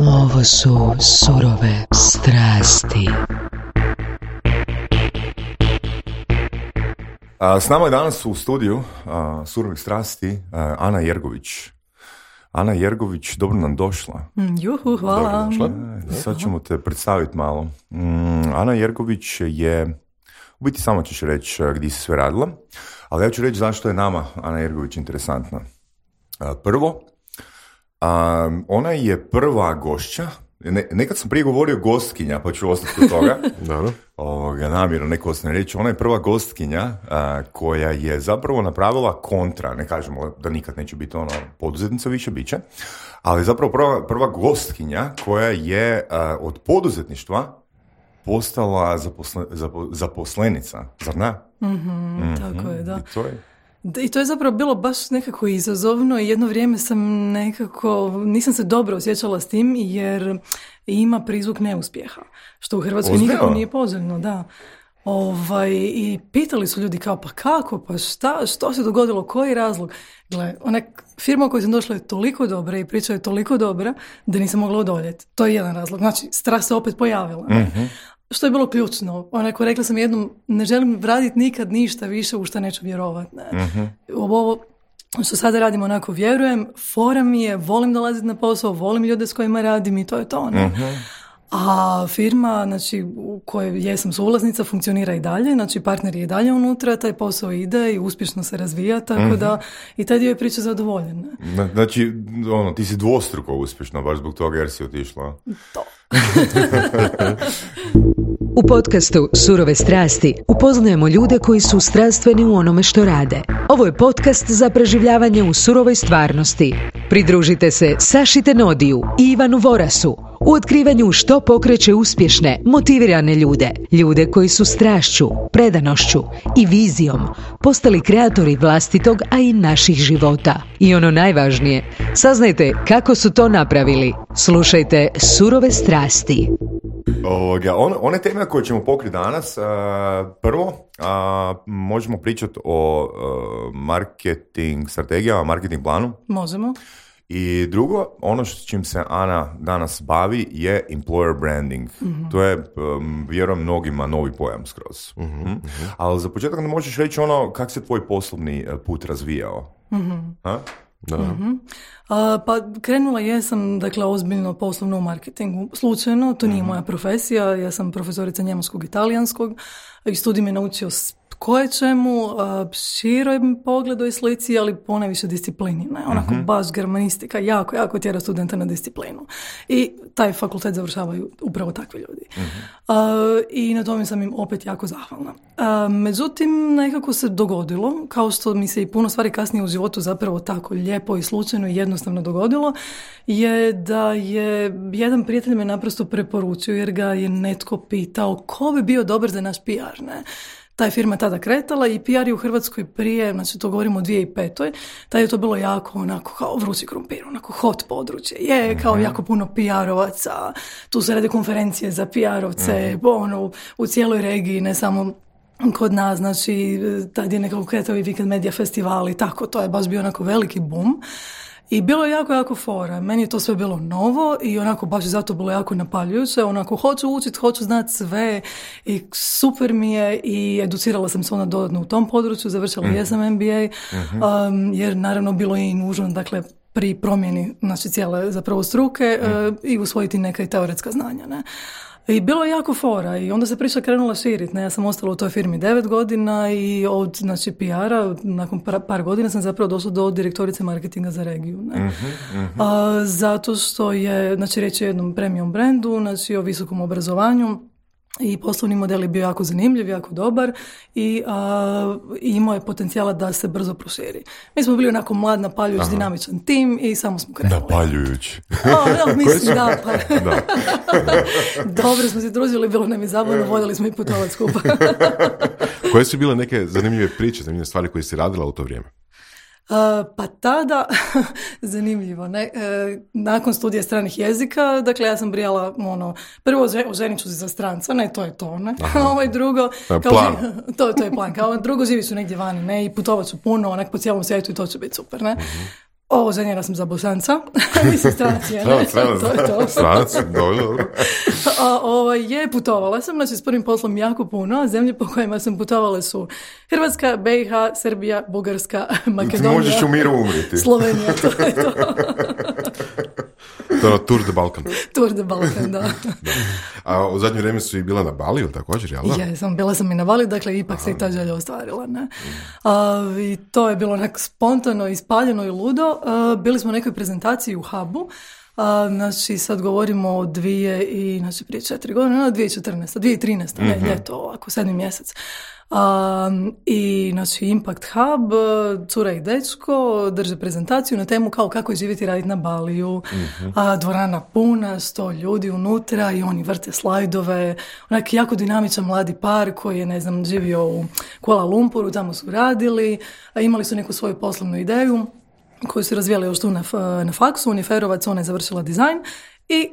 Ovo su surove strasti. S nama je danas u studiju surovih strasti Ana Jergović. Ana Jergović, dobro nam došla. Juhu, hvala. Dobro došla. Sad ćemo te predstaviti malo. Ana Jergović je, u biti samo ćeš reći gdje si sve radila, ali ja ću reći zašto je nama Ana Jergović interesantna. Prvo, ona je prva gošća, nekad sam prije govorio gostkinja, pa ću ostati kod toga. Namjerno neko ostane reći, ona je prva gostkinja koja je zapravo napravila kontra, ne kažemo da nikad neće biti ono poduzetnica, više bit će, ali zapravo prva gostkinja koja je od poduzetništva postala zaposlenica, zar ne? Tako je, da. I to je... I to je zapravo bilo baš nekako izazovno i jedno vrijeme sam nisam se dobro osjećala s tim jer ima prizvuk neuspjeha, što u Hrvatskoj nikako nije poželjno, da. I pitali su ljudi kao, pa kako, pa što se dogodilo, koji je razlog? Gle, ona firma u kojoj sam došla je toliko dobra i priča je toliko dobra da nisam mogla odoljeti. To je jedan razlog. Znači, strah se opet pojavila. Što je bilo ključno. Onako, rekla sam jednom, ne želim raditi nikad ništa više u što neću vjerovati. Ovo što sada radim, onako vjerujem, fora mi je, volim dolaziti na posao, volim ljude s kojima radim i to je to. A firma, znači, u kojoj jesam suvlasnica, funkcionira i dalje, znači partner je i dalje unutra, taj posao ide i uspješno se razvija, tako da i taj dio je priča zadovoljen. Znači, ti si dvostruko uspješna, baš zbog toga jer si otišla. To. U podcastu Surove strasti upoznajemo ljude koji su strastveni u onome što rade. Ovo je podcast za preživljavanje u surovoj stvarnosti. Pridružite se Saši Tenodiju i Ivanu Vorasu u otkrivanju što pokreće uspješne, motivirane ljude. Ljude koji su strašću, predanošću i vizijom postali kreatori vlastitog, a i naših života. I ono najvažnije, saznajte kako su to napravili. Slušajte Surove strasti. One teme koje ćemo pokriti danas, prvo možemo pričati o marketing strategijama, marketing planu. Možemo. I drugo, ono s čim se Ana danas bavi je employer branding. To je, vjerujem, mnogima novi pojam skroz. Ali za početak ne možeš reći kako se tvoj poslovni put razvijao? Da. Pa krenula jesam, dakle, ozbiljno poslovno u marketingu. Slučajno, to nije moja profesija, ja sam profesorica njemačkog i italijanskog i studij me naučio koje čemu, široj pogledu i slici, ali ponajviše disciplini. Ne? Onako baš germanistika, jako tjera studenta na disciplinu. I taj fakultet završavaju upravo takvi ljudi. I na tome sam im opet jako zahvalna. Međutim, nekako se dogodilo, kao što mi se i puno stvari kasnije u životu zapravo tako lijepo i slučajno i jednostavno dogodilo, je da je jedan prijatelj me naprosto preporučio jer ga je netko pitao ko bi bio dobar za naš PR, ne? Ta je firma tada kretala i PR je u Hrvatskoj prije, znači to govorimo o 2005. Tada je to bilo jako onako kao vrući krumpir, onako hot područje. Je kao jako puno PR-ovaca, tu se rade konferencije za PR-ovce, u cijeloj regiji, ne samo kod nas, znači tad je nekako kretao i Weekend Media Festival i tako, to je baš bio onako veliki boom. I bilo je jako fora. Meni je to sve bilo novo i onako baš zato bilo jako napaljujuće. Onako hoću učiti, hoću znati sve i super mi je i educirala sam se dodatno u tom području, završila jesam MBA, jer naravno bilo je i nužno, dakle, pri promjeni znači cijele zapravo struke i usvojiti neka i teoretska znanja, ne. I bilo je jako fora i onda se priča krenula širiti. Ja sam ostala u toj firmi 9 godina i od znači, PR-a nakon par godina sam zapravo došla do direktorice marketinga za regiju. Ne? Zato što je, znači reći o jednom premium brandu, znači o visokom obrazovanju i poslovni model je bio jako zanimljiv, jako dobar i imao je potencijala da se brzo proširi. Mi smo bili onako mlad, napaljujući, dinamičan tim i samo smo krenuli. Napaljujući. Mislim da. Dobro smo se družili, bilo nam je zabavno, voljeli smo i putovati skupa. Koje su bile neke zanimljive priče, zanimljive stvari koje si radila u to vrijeme? Pa tada, zanimljivo, ne? Nakon studija stranih jezika, dakle ja sam brijala, prvo oženit ću se za stranca, ne, to je to, ne? Ovo je drugo, plan. To je plan, kao drugo živi su negdje vani, ne, i putovat ću puno, onak po cijelom svijetu i to će biti super, ne? Ženjena sam za Bosanca. Mislim, stranac je, ne? Stranac, dobro. Putovala sam, znači s prvim poslom jako puno, a zemlje po kojima sam putovala su Hrvatska, BiH, Srbija, Bugarska, Makedonija. Ti možeš u miru umriti. Slovenija, to je to. To je Tour de Balkan. Tour de Balkan, da. A u zadnje vrijeme su i bila na Bali, ili također, jel da? Bila sam i na Bali, dakle ipak se i ta želja ostvarila. Ne? I to je bilo onak spontano, ispaljeno i ludo. Bili smo u nekoj prezentaciji u Hubu. Znači sad govorimo o prije 4 godine, 2013, ljeto ovako, 7. mjesec. I znači Impact Hub, cura i dečko drže prezentaciju na temu kao kako je živjeti i raditi na Baliju, dvorana puna, 100 ljudi unutra i oni vrte slajdove, onak jako dinamičan mladi par koji je, živio u Kuala Lumpuru, tamo su radili, imali su neku svoju poslovnu ideju koju su razvijali još tu na faksu, Uniferovac, ona je završila dizajn i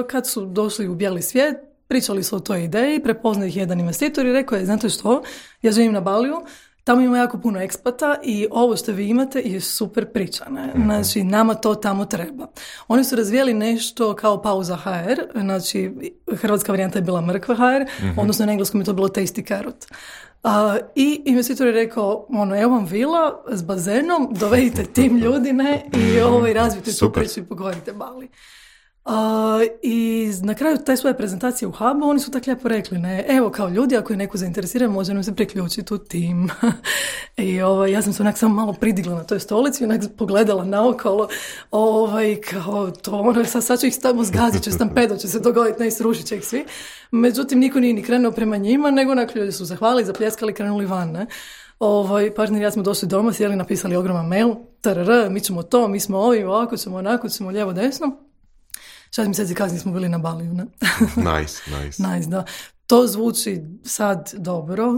kad su došli u bijeli svijet, pričali su o toj ideji, prepoznao ih jedan investitor i rekao je, znate što, ja živim na Baliju, tamo ima jako puno ekspata i ovo što vi imate je super priča, ne? Znači, nama to tamo treba. Oni su razvijali nešto kao Pauza HR, znači, hrvatska varijanta je bila Mrkva HR, odnosno na engleskom je to bilo Tasty Carrot. I investitor je rekao, evo vam vila s bazenom, dovedite tim ljudi, ne, i razvijete tu priču i pogovorite Bali. I na kraju te svoje prezentacije u Hubu oni su tako lijepo rekli, ne, evo kao ljudi, ako je neko zainteresiran, može nam se priključiti u tim. I ja sam se onak samo malo pridigla na toj stolici, onak pogledala naokolo, kao to, sad ću ih tamo zgazit, će stampedo, će se dogoditi, ne, srušit će ih svi. Međutim, niko nije ni krenuo prema njima, nego onak ljudi su zahvalili, zapljeskali, krenuli van, ne. Partner i ja smo došli doma, sjeli, napisali ogroman mail, mi ćemo to, mi smo ovi, ovako ćemo, onako ćemo, lijevo, desno. 6 mjeseci kasnije smo bili na Baliju, ne? Nice, da. To zvuči sad dobro.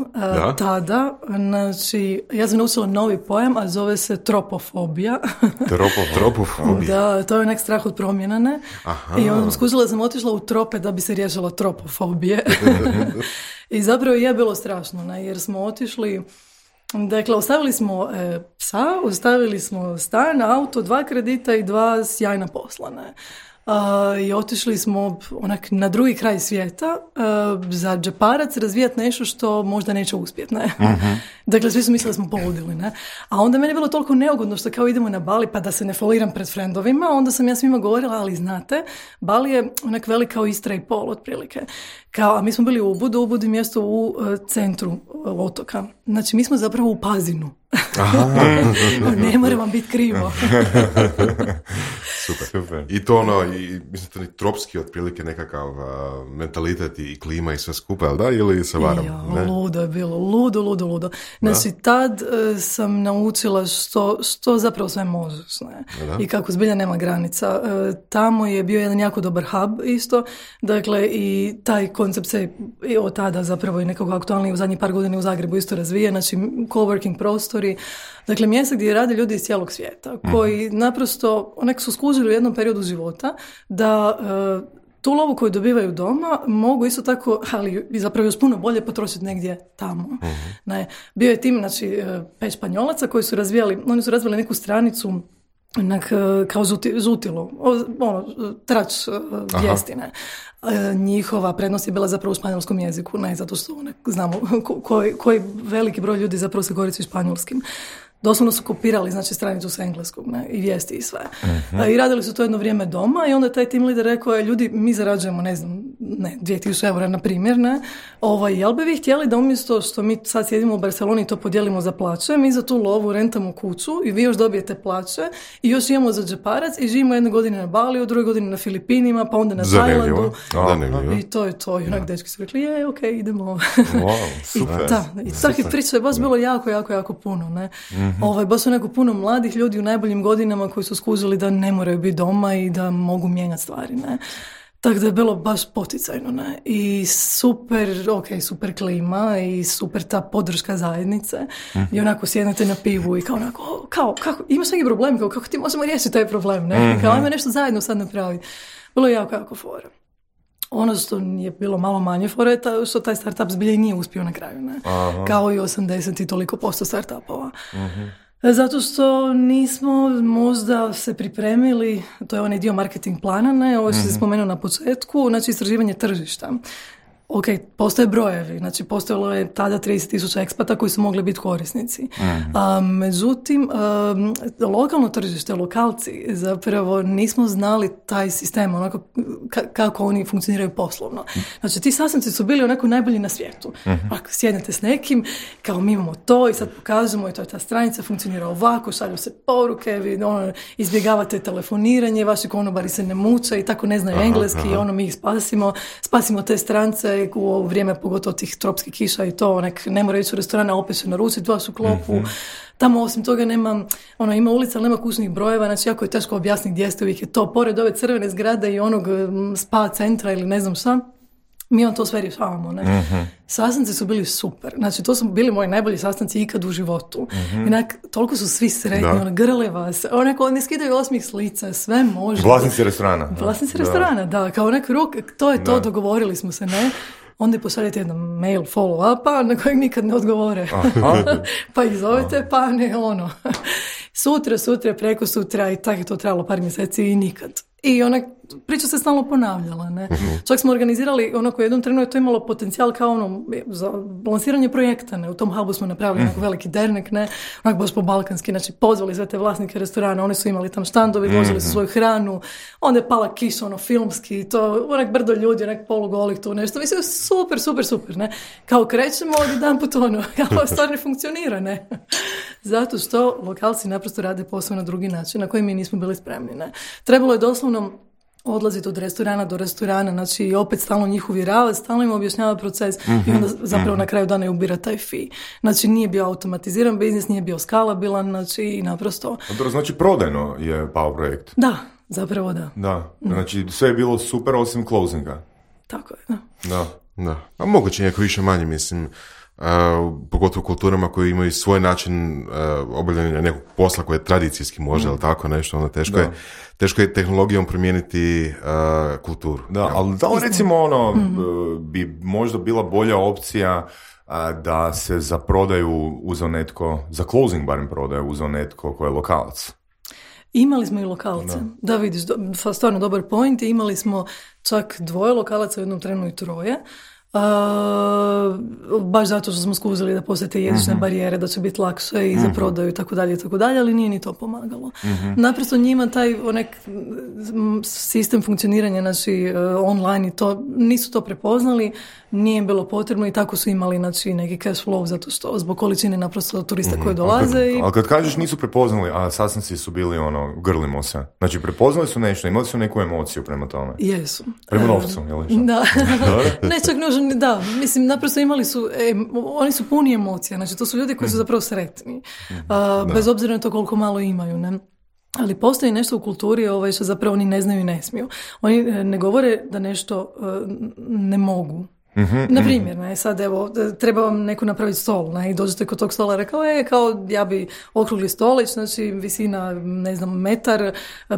Tada, znači, ja sam naučila novi pojam, a zove se tropofobija. Tropofobija. Da, to je nek strah od promjena, ne? I onda sam skušala da sam otišla u trope da bi se riješila tropofobije. I zapravo je bilo strašno, ne? Jer smo otišli... Dakle, ostavili smo psa, ostavili smo stan, auto, 2 kredita i 2 sjajna posla, ne? I otišli smo onak na drugi kraj svijeta za džeparac razvijati nešto što možda neće uspjeti, ne? Dakle, svi su mislili da smo poludili, ne? A onda meni je bilo toliko neugodno što kao idemo na Bali pa da se ne foliram pred frendovima, onda sam ja svima govorila, ali znate, Bali je onak velik kao Istra i pol otprilike. A mi smo bili u Ubudu, Ubud je mjesto u centru otoka. Znači, mi smo zapravo u Pazinu. Ne mora vam biti krivo. Super. I to mislim to ni tropski otprilike nekakav mentalitet i klima i sve skupa, jel da? Ili se varam? Ludo je bilo, ludo. Znači, tad sam naučila što zapravo sve možeš, ne? I kako zbilja nema granica. Tamo je bio jedan jako dobar hub isto, dakle, i taj koncept se od tada zapravo i nekako aktualniji u zadnjih par godina u Zagrebu isto razvije, znači coworking prostori, dakle mjesta gdje rade ljudi iz cijelog svijeta, koji naprosto onak su skužili u jednom periodu života da tu lovu koju dobivaju doma mogu isto tako, ali zapravo još puno bolje potrošiti negdje tamo. Ne, bio je tim, znači, 5 Španjolaca koji su oni su razvili neku stranicu kao žutilo, trač vijestine. Njihova prednost je bila zapravo u španjolskom jeziku, ne zato što znamo koji veliki broj ljudi zapravo se koristi španjolskim. Doslovno su kopirali, znači, stranicu s engleskog, ne, i vijesti i sve. I radili su to jedno vrijeme doma i onda je taj team leader rekao, ljudi, mi zarađujemo, 2000 eura, na primjer, ne, jel bi vi htjeli da umjesto što mi sad sjedimo u Barceloni to podijelimo za plaće, mi za tu lovu rentamo kuću i vi još dobijete plaće i još imamo za džeparac i živimo 1 godinu na Baliju, 2 godine na Filipinima, pa onda na Tajlandu. I to je to. I onak dečki su rekli, okej, idemo. Super. I takvih priča je baš bilo jako puno, ne. Baš su neko puno mladih ljudi u najboljim godinama koji su skužili da ne moraju biti doma i da mogu mijenjati stvari, ne. Tako da je bilo baš poticajno, ne. I super klima i super ta podrška zajednice. I onako sjednete na pivu i kao onako, kako, imaš neki problem, kako ti možemo riješiti taj problem, ne. Kao ajmo nešto zajedno sad napraviti. Bilo je jako fora. Ono što je bilo malo manje fora je što taj startup zbilja nije uspio na kraju, ne? Kao i 80 i toliko % startupova. Zato što nismo možda se pripremili, to je onaj dio marketing plana, ne, ovo što se spomenuo na početku, znači istraživanje tržišta. Ok, postoje brojevi, znači postojalo je tada 30,000 ekspata koji su mogli biti korisnici. Međutim, lokalno tržište, lokalci, zapravo nismo znali taj sistem, onako kako oni funkcioniraju poslovno. Znači, ti sastanci su bili onako najbolji na svijetu. Ako sjednete s nekim, kao mi imamo to i sad pokažemo i to je ta stranica, funkcionira ovako, šalju se poruke, vi izbjegavate telefoniranje, vaši konobari se ne muče i tako ne znaju engleski, mi ih spasimo te strance u vrijeme pogotovo tih tropskih kiša i to, ne mora ići u restorana, opet se naručiti vašu klopu. Tamo osim toga nema, ima ulica, ali nema kućnih brojeva, znači jako je teško objasniti gdje ste, uvijek je to pored ove crvene zgrade i onog spa centra ili ne znam šta. Mi on to sve rješavamo, ne? Sastanci su bili super. Znači, to su bili moji najbolji sastanci ikad u životu. Toliko su svi sretni, grle vas. Ne skidaju osmih s lica, sve može. Vlasnici restorana. Vlasnici restorana, da. Kao rok, to je to, dogovorili smo se, ne? Onda pošaljete jedan mail follow-upa na kojeg nikad ne odgovore. Pa ih zovete, pa ne, sutra, preko sutra i tako je to trebalo par mjeseci i nikad. I priča se stalno ponavljala, ne. Čak smo organizirali, u jednom trenu je to imalo potencijal kao za lansiranje projekta, ne. U tom hubu smo napravili veliki dernek, ne, baš po balkanski, znači pozvali sve te vlasnike restorana, oni su imali tam štandovi, vozili su svoju hranu, onda je pala kiša, filmski, to, brdo ljudi, polugolih tu, nešto, mislim, super, ne. Kao krećemo, od jedan put kao stvar ne funkcionira, ne. Zato što lokalci naprosto rade posao na drugi način, na koji mi nismo bili spremni, ne. Trebalo je doslovno odlaziti od restorana do restorana, znači opet stalno njih uvjeravati, stalno im objašnjavati proces i onda zapravo na kraju dana ubira taj fee. Znači nije bio automatiziran biznis, nije bio skalabilan, znači i naprosto... To znači prodajno je pao projekt. Da, zapravo da. Da, znači sve je bilo super osim closinga. Tako je, da. A moguće nekako više manje, mislim... pogotovo u kulturama koji imaju svoj način obavljanja nekog posla koji je tradicijski možda, ali tako nešto, teško je tehnologijom promijeniti kulturu. Da, ali da li recimo bi možda bila bolja opcija da se za prodaju uzeo netko, za closing barem prodaju uzeo netko ko je lokalac? Imali smo i lokalce. Da vidiš, stvarno dobar point. Imali smo čak 2 lokalaca u jednom trenu i 3. Baš zato što smo skuzili da postoje te jezične barijere, da će biti lakše i za prodaju i tako dalje, ali nije ni to pomagalo. Naprosto njima taj sistem funkcioniranja znači online i to, nisu to prepoznali, nije im bilo potrebno i tako su imali znači neki cash flow zato što zbog količine naprosto turista koji dolaze. Ali kad kažeš nisu prepoznali, a sastanci su bili grlimo se. Znači prepoznali su nešto, imali su neku emociju prema tome. Jesu. Prema novcu, je li? Da. Ne čak nužno, da. Mislim, naprosto imali su, oni su puni emocija. Znači to su ljudi koji su zapravo sretni. Bez obzira na to koliko malo imaju, ne? Ali postoji nešto u kulturi što zapravo oni ne znaju i ne smiju. Oni ne govore da nešto ne mogu. Na primjer, ne, sad evo, treba vam neko napraviti stol, ne, i dođete kod tog stola, rekao, kao ja bi okrugli stolić, znači visina, ne znam, metar,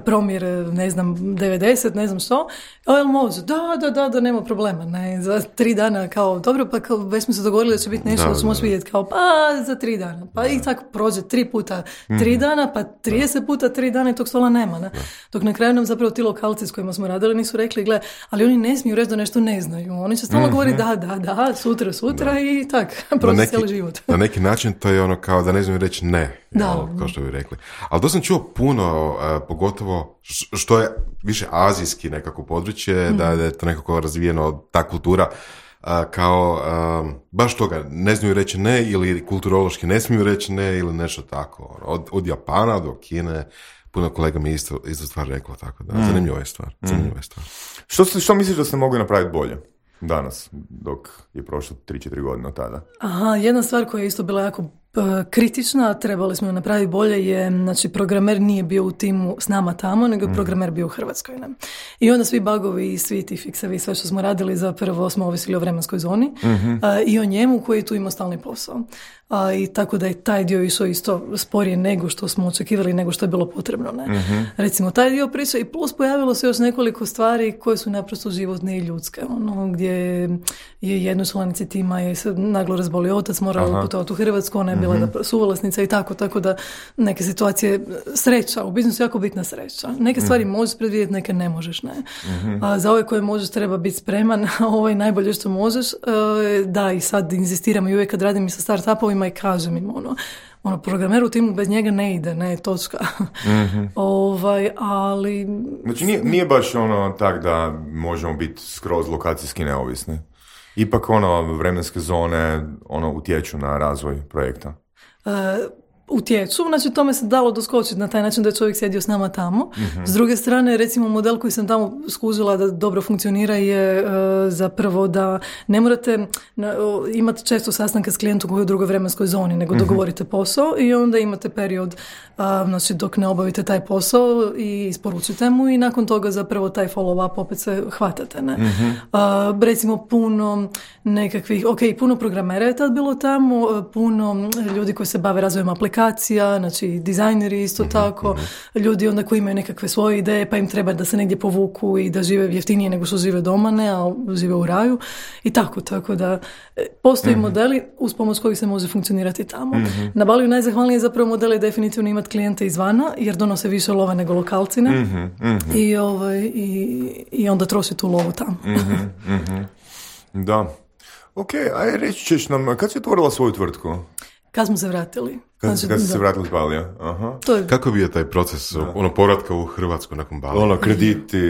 promjer, ne znam, 90, ne znam što, jel može? Da, nema problema, ne, za 3 dana, kao, dobro, pa kao, već smo se dogovorili da će biti nešto, da ću moći vidjeti, kao, pa za 3 dana, pa i tako prođe 3 puta 3 dana, pa 30 puta 3 dana i tog stola nema, ne, dok na kraju nam zapravo ti lokalci s kojima smo radili nisu rekli, gle, ali oni ne smiju reći da nešto ne znaju, oni će stalno govoriti da, sutra i tak, proći cijeli život. Na neki način to je kao da ne znam reći ne, kao što bi rekli. Ali to sam čuo puno, pogotovo što je više azijski nekako područje, da je to nekako razvijeno, ta kultura, kao baš toga, ne znaju reći ne ili kulturološki ne smiju reći ne ili nešto tako. Od Japana do Kine, puno kolega mi isto stvar reklo, tako da, zanimljiva je stvar. Što misliš da ste mogli napraviti bolje danas, dok je prošlo 3-4 godine od tada? Jedna stvar koja je isto bila jako kritična, trebali smo napraviti bolje je, znači programer nije bio u timu s nama tamo, nego je programer bio u Hrvatskoj. Ne? I onda svi bugovi i svi ti fiksevi, sve što smo radili, zapravo smo ovisili o vremenskoj zoni i o njemu koji tu imao stalni posao. I tako da je taj dio išao isto sporije nego što smo očekivali, nego što je bilo potrebno. Ne? Recimo, taj dio priče i plus pojavilo se još nekoliko stvari koje su naprosto životne i ljudske. Gdje je jednoj članici tima je se naglo razbolio otac, morao putovati u Hrvatsku, ona je bila da suvlasnica i tako da neke situacije, sreća, u biznisu je jako bitna sreća. Neke stvari možeš predvidjeti, neke ne možeš, ne. A za ove koje možeš treba biti spreman, a ovo je najbolje što možeš. Da, i sad inzistiram i uvijek kad radim i sa startupovima i kažem im programer u timu bez njega ne ide, ne, točka. Ali... Znači nije baš tak da možemo biti skroz lokacijski neovisni. Ipak vremenske zone utječu na razvoj projekta. Utječu, znači tome se dalo doskočiti na taj način da je čovjek sjedio s nama tamo. S druge strane, recimo model koji sam tamo skužila da dobro funkcionira je zapravo da ne morate imati često sastanke s klijentom koji je u drugoj vremenskoj zoni, nego dogovorite posao i onda imate period znači dok ne obavite taj posao i isporučite mu i nakon toga zapravo taj follow up opet se hvatate. Ne? Recimo puno nekakvih, puno programera je tad bilo tamo, puno ljudi koji se bave razvojem aplikacija, znači dizajneri isto tako, ljudi onda koji imaju nekakve svoje ideje pa im treba da se negdje povuku i da žive jeftinije nego što žive doma, ne, a žive u raju i tako da postoji modeli uz pomoć kojih se može funkcionirati tamo. Na Baliju najzahvalnije zapravo model je definitivno imati klijente izvana jer donose više lova nego lokalcine i onda troši tu lovu tamo. Da. Ok, aj reći ćeš nam, kad si otvorila svoju tvrtku? Kad smo se vratili. Kad ste se vratili s Balija? Aha. Kako je bio taj proces povratka u Hrvatsku nakon Balija? Krediti,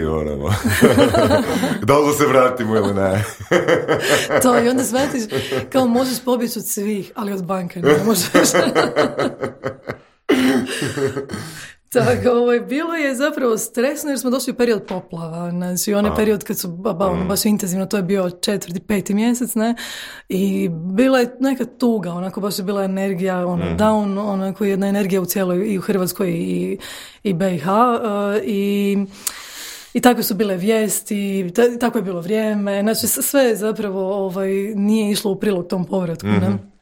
da li se vratimo ili ne? To i onda shvatiš kao možeš pobjeći od svih, ali od banke ne možeš. Tako, bilo je zapravo stresno jer smo došli u period poplava, znači onaj period kad su baš intenzivno, to je bio 4. 5. mjesec, ne, i bila je neka tuga, onako baš je bila energija, down, onako jedna energija u cijeloj i u Hrvatskoj i BiH i tako su bile vijesti, tako je bilo vrijeme, znači sve zapravo nije išlo u prilog tom povratku, ne.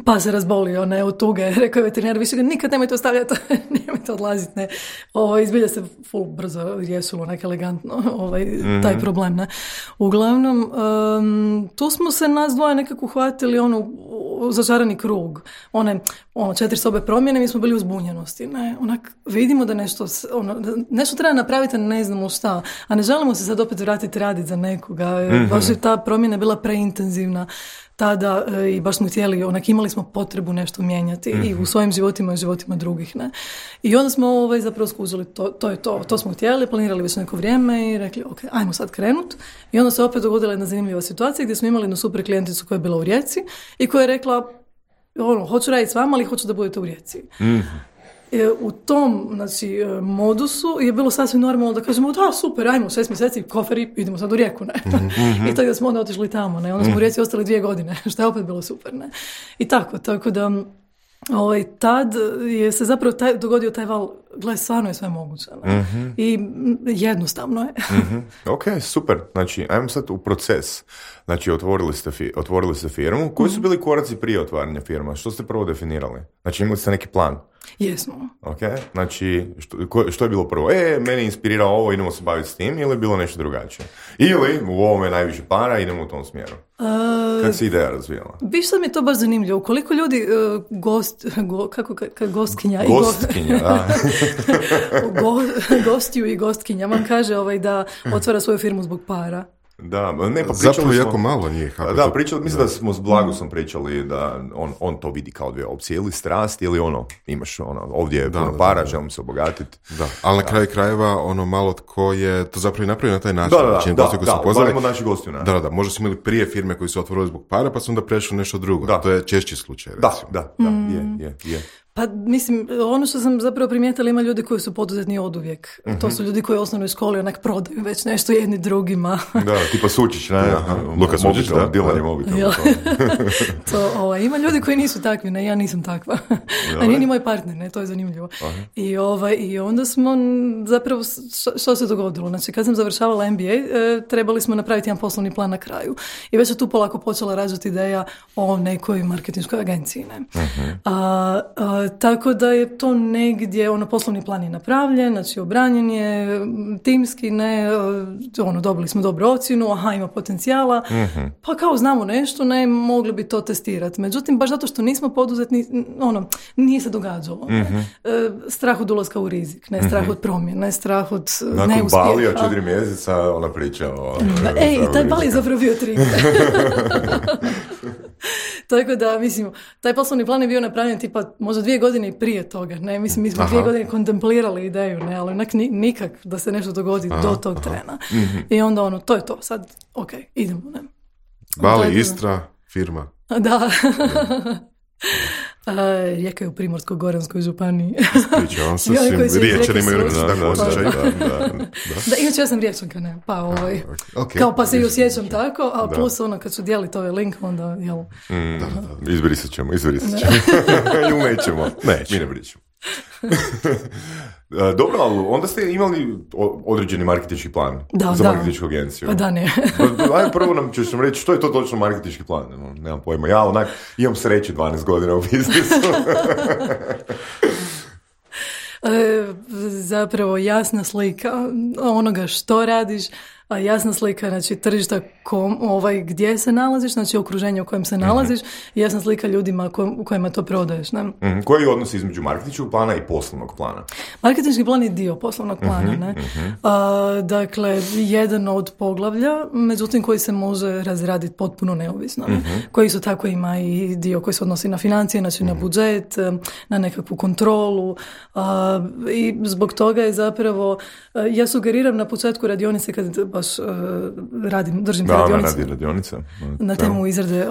Pa se razbolio od tuge, rekao je veterinar, više ga nikad nemojte ostavljati, nemojte odlaziti, ne. Izbilja se full brzo riješilo, nek elegantno, taj problem, ne. Uglavnom, tu smo se nas dvoje nekako uhvatili, začarani krug, 4 sobe promjene, mi smo bili u zbunjenosti, ne. Vidimo da nešto treba napraviti, ne znamo šta, a ne želimo se sad opet vratiti raditi za nekoga, baš je ta promjena bila preintenzivna tada i baš smo htjeli, imali smo potrebu nešto mijenjati i u svojim životima i životima drugih, ne. I onda smo zapravo skužili, to je to smo htjeli, planirali već neko vrijeme i rekli, ok, ajmo sad krenut. I onda se opet dogodila jedna zanimljiva situacija gdje smo imali jednu super klijenticu koja je bila u Rijeci i koja je rekla, hoću raditi s vama, ali hoću da budete u Rijeci. U tom modusu je bilo sasvim normalno da kažemo da super, ajmo 6 mjeseci, koferi, idemo sad u Rijeku, ne. I tako da smo onda otišli tamo, ne. Onda smo u Rijeci ostali 2 godine, što je opet bilo super, ne. I tako da tad je se zapravo dogodio taj val, gle, stvarno je sve moguće, ne. I jednostavno je. Ok, super, znači ajmo sad u proces. Znači otvorili ste firmu. Koji su bili koraci prije otvaranja firma? Što ste prvo definirali? Znači imali ste neki plan? Jesmo. Ok, znači što je bilo prvo? Meni inspirirao ovo, idemo se baviti s tim, ili je bilo nešto drugačije? Ili u ovome najviše para, idemo u tom smjeru? Kako se ideja razvijala? Viš sad mi je to baš zanimljivo. Koliko ljudi gostkinja da. Gostiju i gostkinja vam kaže da otvara svoju firmu zbog para. Da, ne, pa zapravo smo, jako malo njih. Mislim da smo s Blagusom pričali da on to vidi kao dvije opcije, ili strast, ili imaš ovdje je puno para, želim se obogatiti. Da, ali na kraju krajeva malo tko je to zapravo i napravio na taj način. Da, naši gostiju. Da, možda su imali prije firme koji su otvorili zbog para, pa su onda prešli nešto drugo. Da. To je češći slučaj, recimo. Da, je. Pa mislim, ono što sam zapravo primijetila, ima ljudi koji su poduzetni oduvijek. To su ljudi koji u osnovnoj školi onak prodaju već nešto jedni drugima. Da, tipa Sučić, ne? Luka Sučić, da. Dilanje mobitel. Ima ljudi koji nisu takvi, ne, ja nisam takva. A nije ni moj partner, ne, to je zanimljivo. I onda smo zapravo, što se dogodilo? Znači, kad sam završavala MBA, trebali smo napraviti jedan poslovni plan na kraju. I već se tu polako počela rađati ideja o nekoj marketinškoj agenciji, ne. Tako da je to negdje, poslovni plan je napravljen, znači obranjen je, timski, ne, dobili smo dobru ocjenu, ima potencijala, pa kao znamo nešto, ne, mogli bi to testirati. Međutim, baš zato što nismo poduzetni, nije se događalo. Strah od ulaska u rizik, ne strah od promjene, strah od neuspjeha. Nakon Balija 4 mjeseca ona priča o... taj Bali je zapravo bio 3. Tako da, mislim, taj poslovni plan je bio napravljen tipa možda 2 godine i prije toga, ne, mislim, mi smo 2 godine kontemplirali ideju, ne, ali onak nikak da se nešto dogodi do tog trena. I onda to je to, sad, ok, idemo, ne. Bali, Istra, firma. Da. Rijeka je u Primorsko-goranskoj županiji. Pričavam se svim riječanima imaju neki tako osjećaj. Da, inače ja sam riječanka, ne, pa okay. Kao pa se i osjećam tako, a plus kad ću dijeliti ovaj link, onda, jel... Izbrisat ćemo. Ju nećemo. Mi ne pričamo. Dobro, ali onda ste imali određeni marketinški plan za marketinšku agenciju. Pa da, ne. Ajde, prvo nam ćeš nam reći što je to točno marketinški plan. Nemam pojma. Ja imam sreće 12 godina u biznisu. Zapravo jasna slika onoga što radiš, a jasna slika, znači tržišta gdje se nalaziš, znači okruženje u kojem se nalaziš, i jasna slika ljudima kojima to prodaješ. Ne? Koji je odnos između marketinškog plana i poslovnog plana? Marketinški plan je dio poslovnog plana. Ne? Dakle, jedan od poglavlja, međutim koji se može razraditi potpuno neovisno. Koji su tako ima i dio koji se odnosi na financije, znači na budžet, na nekakvu kontrolu, i zbog toga je zapravo, ja sugeriram na početku radionice kad baš držim radionice na temu izrade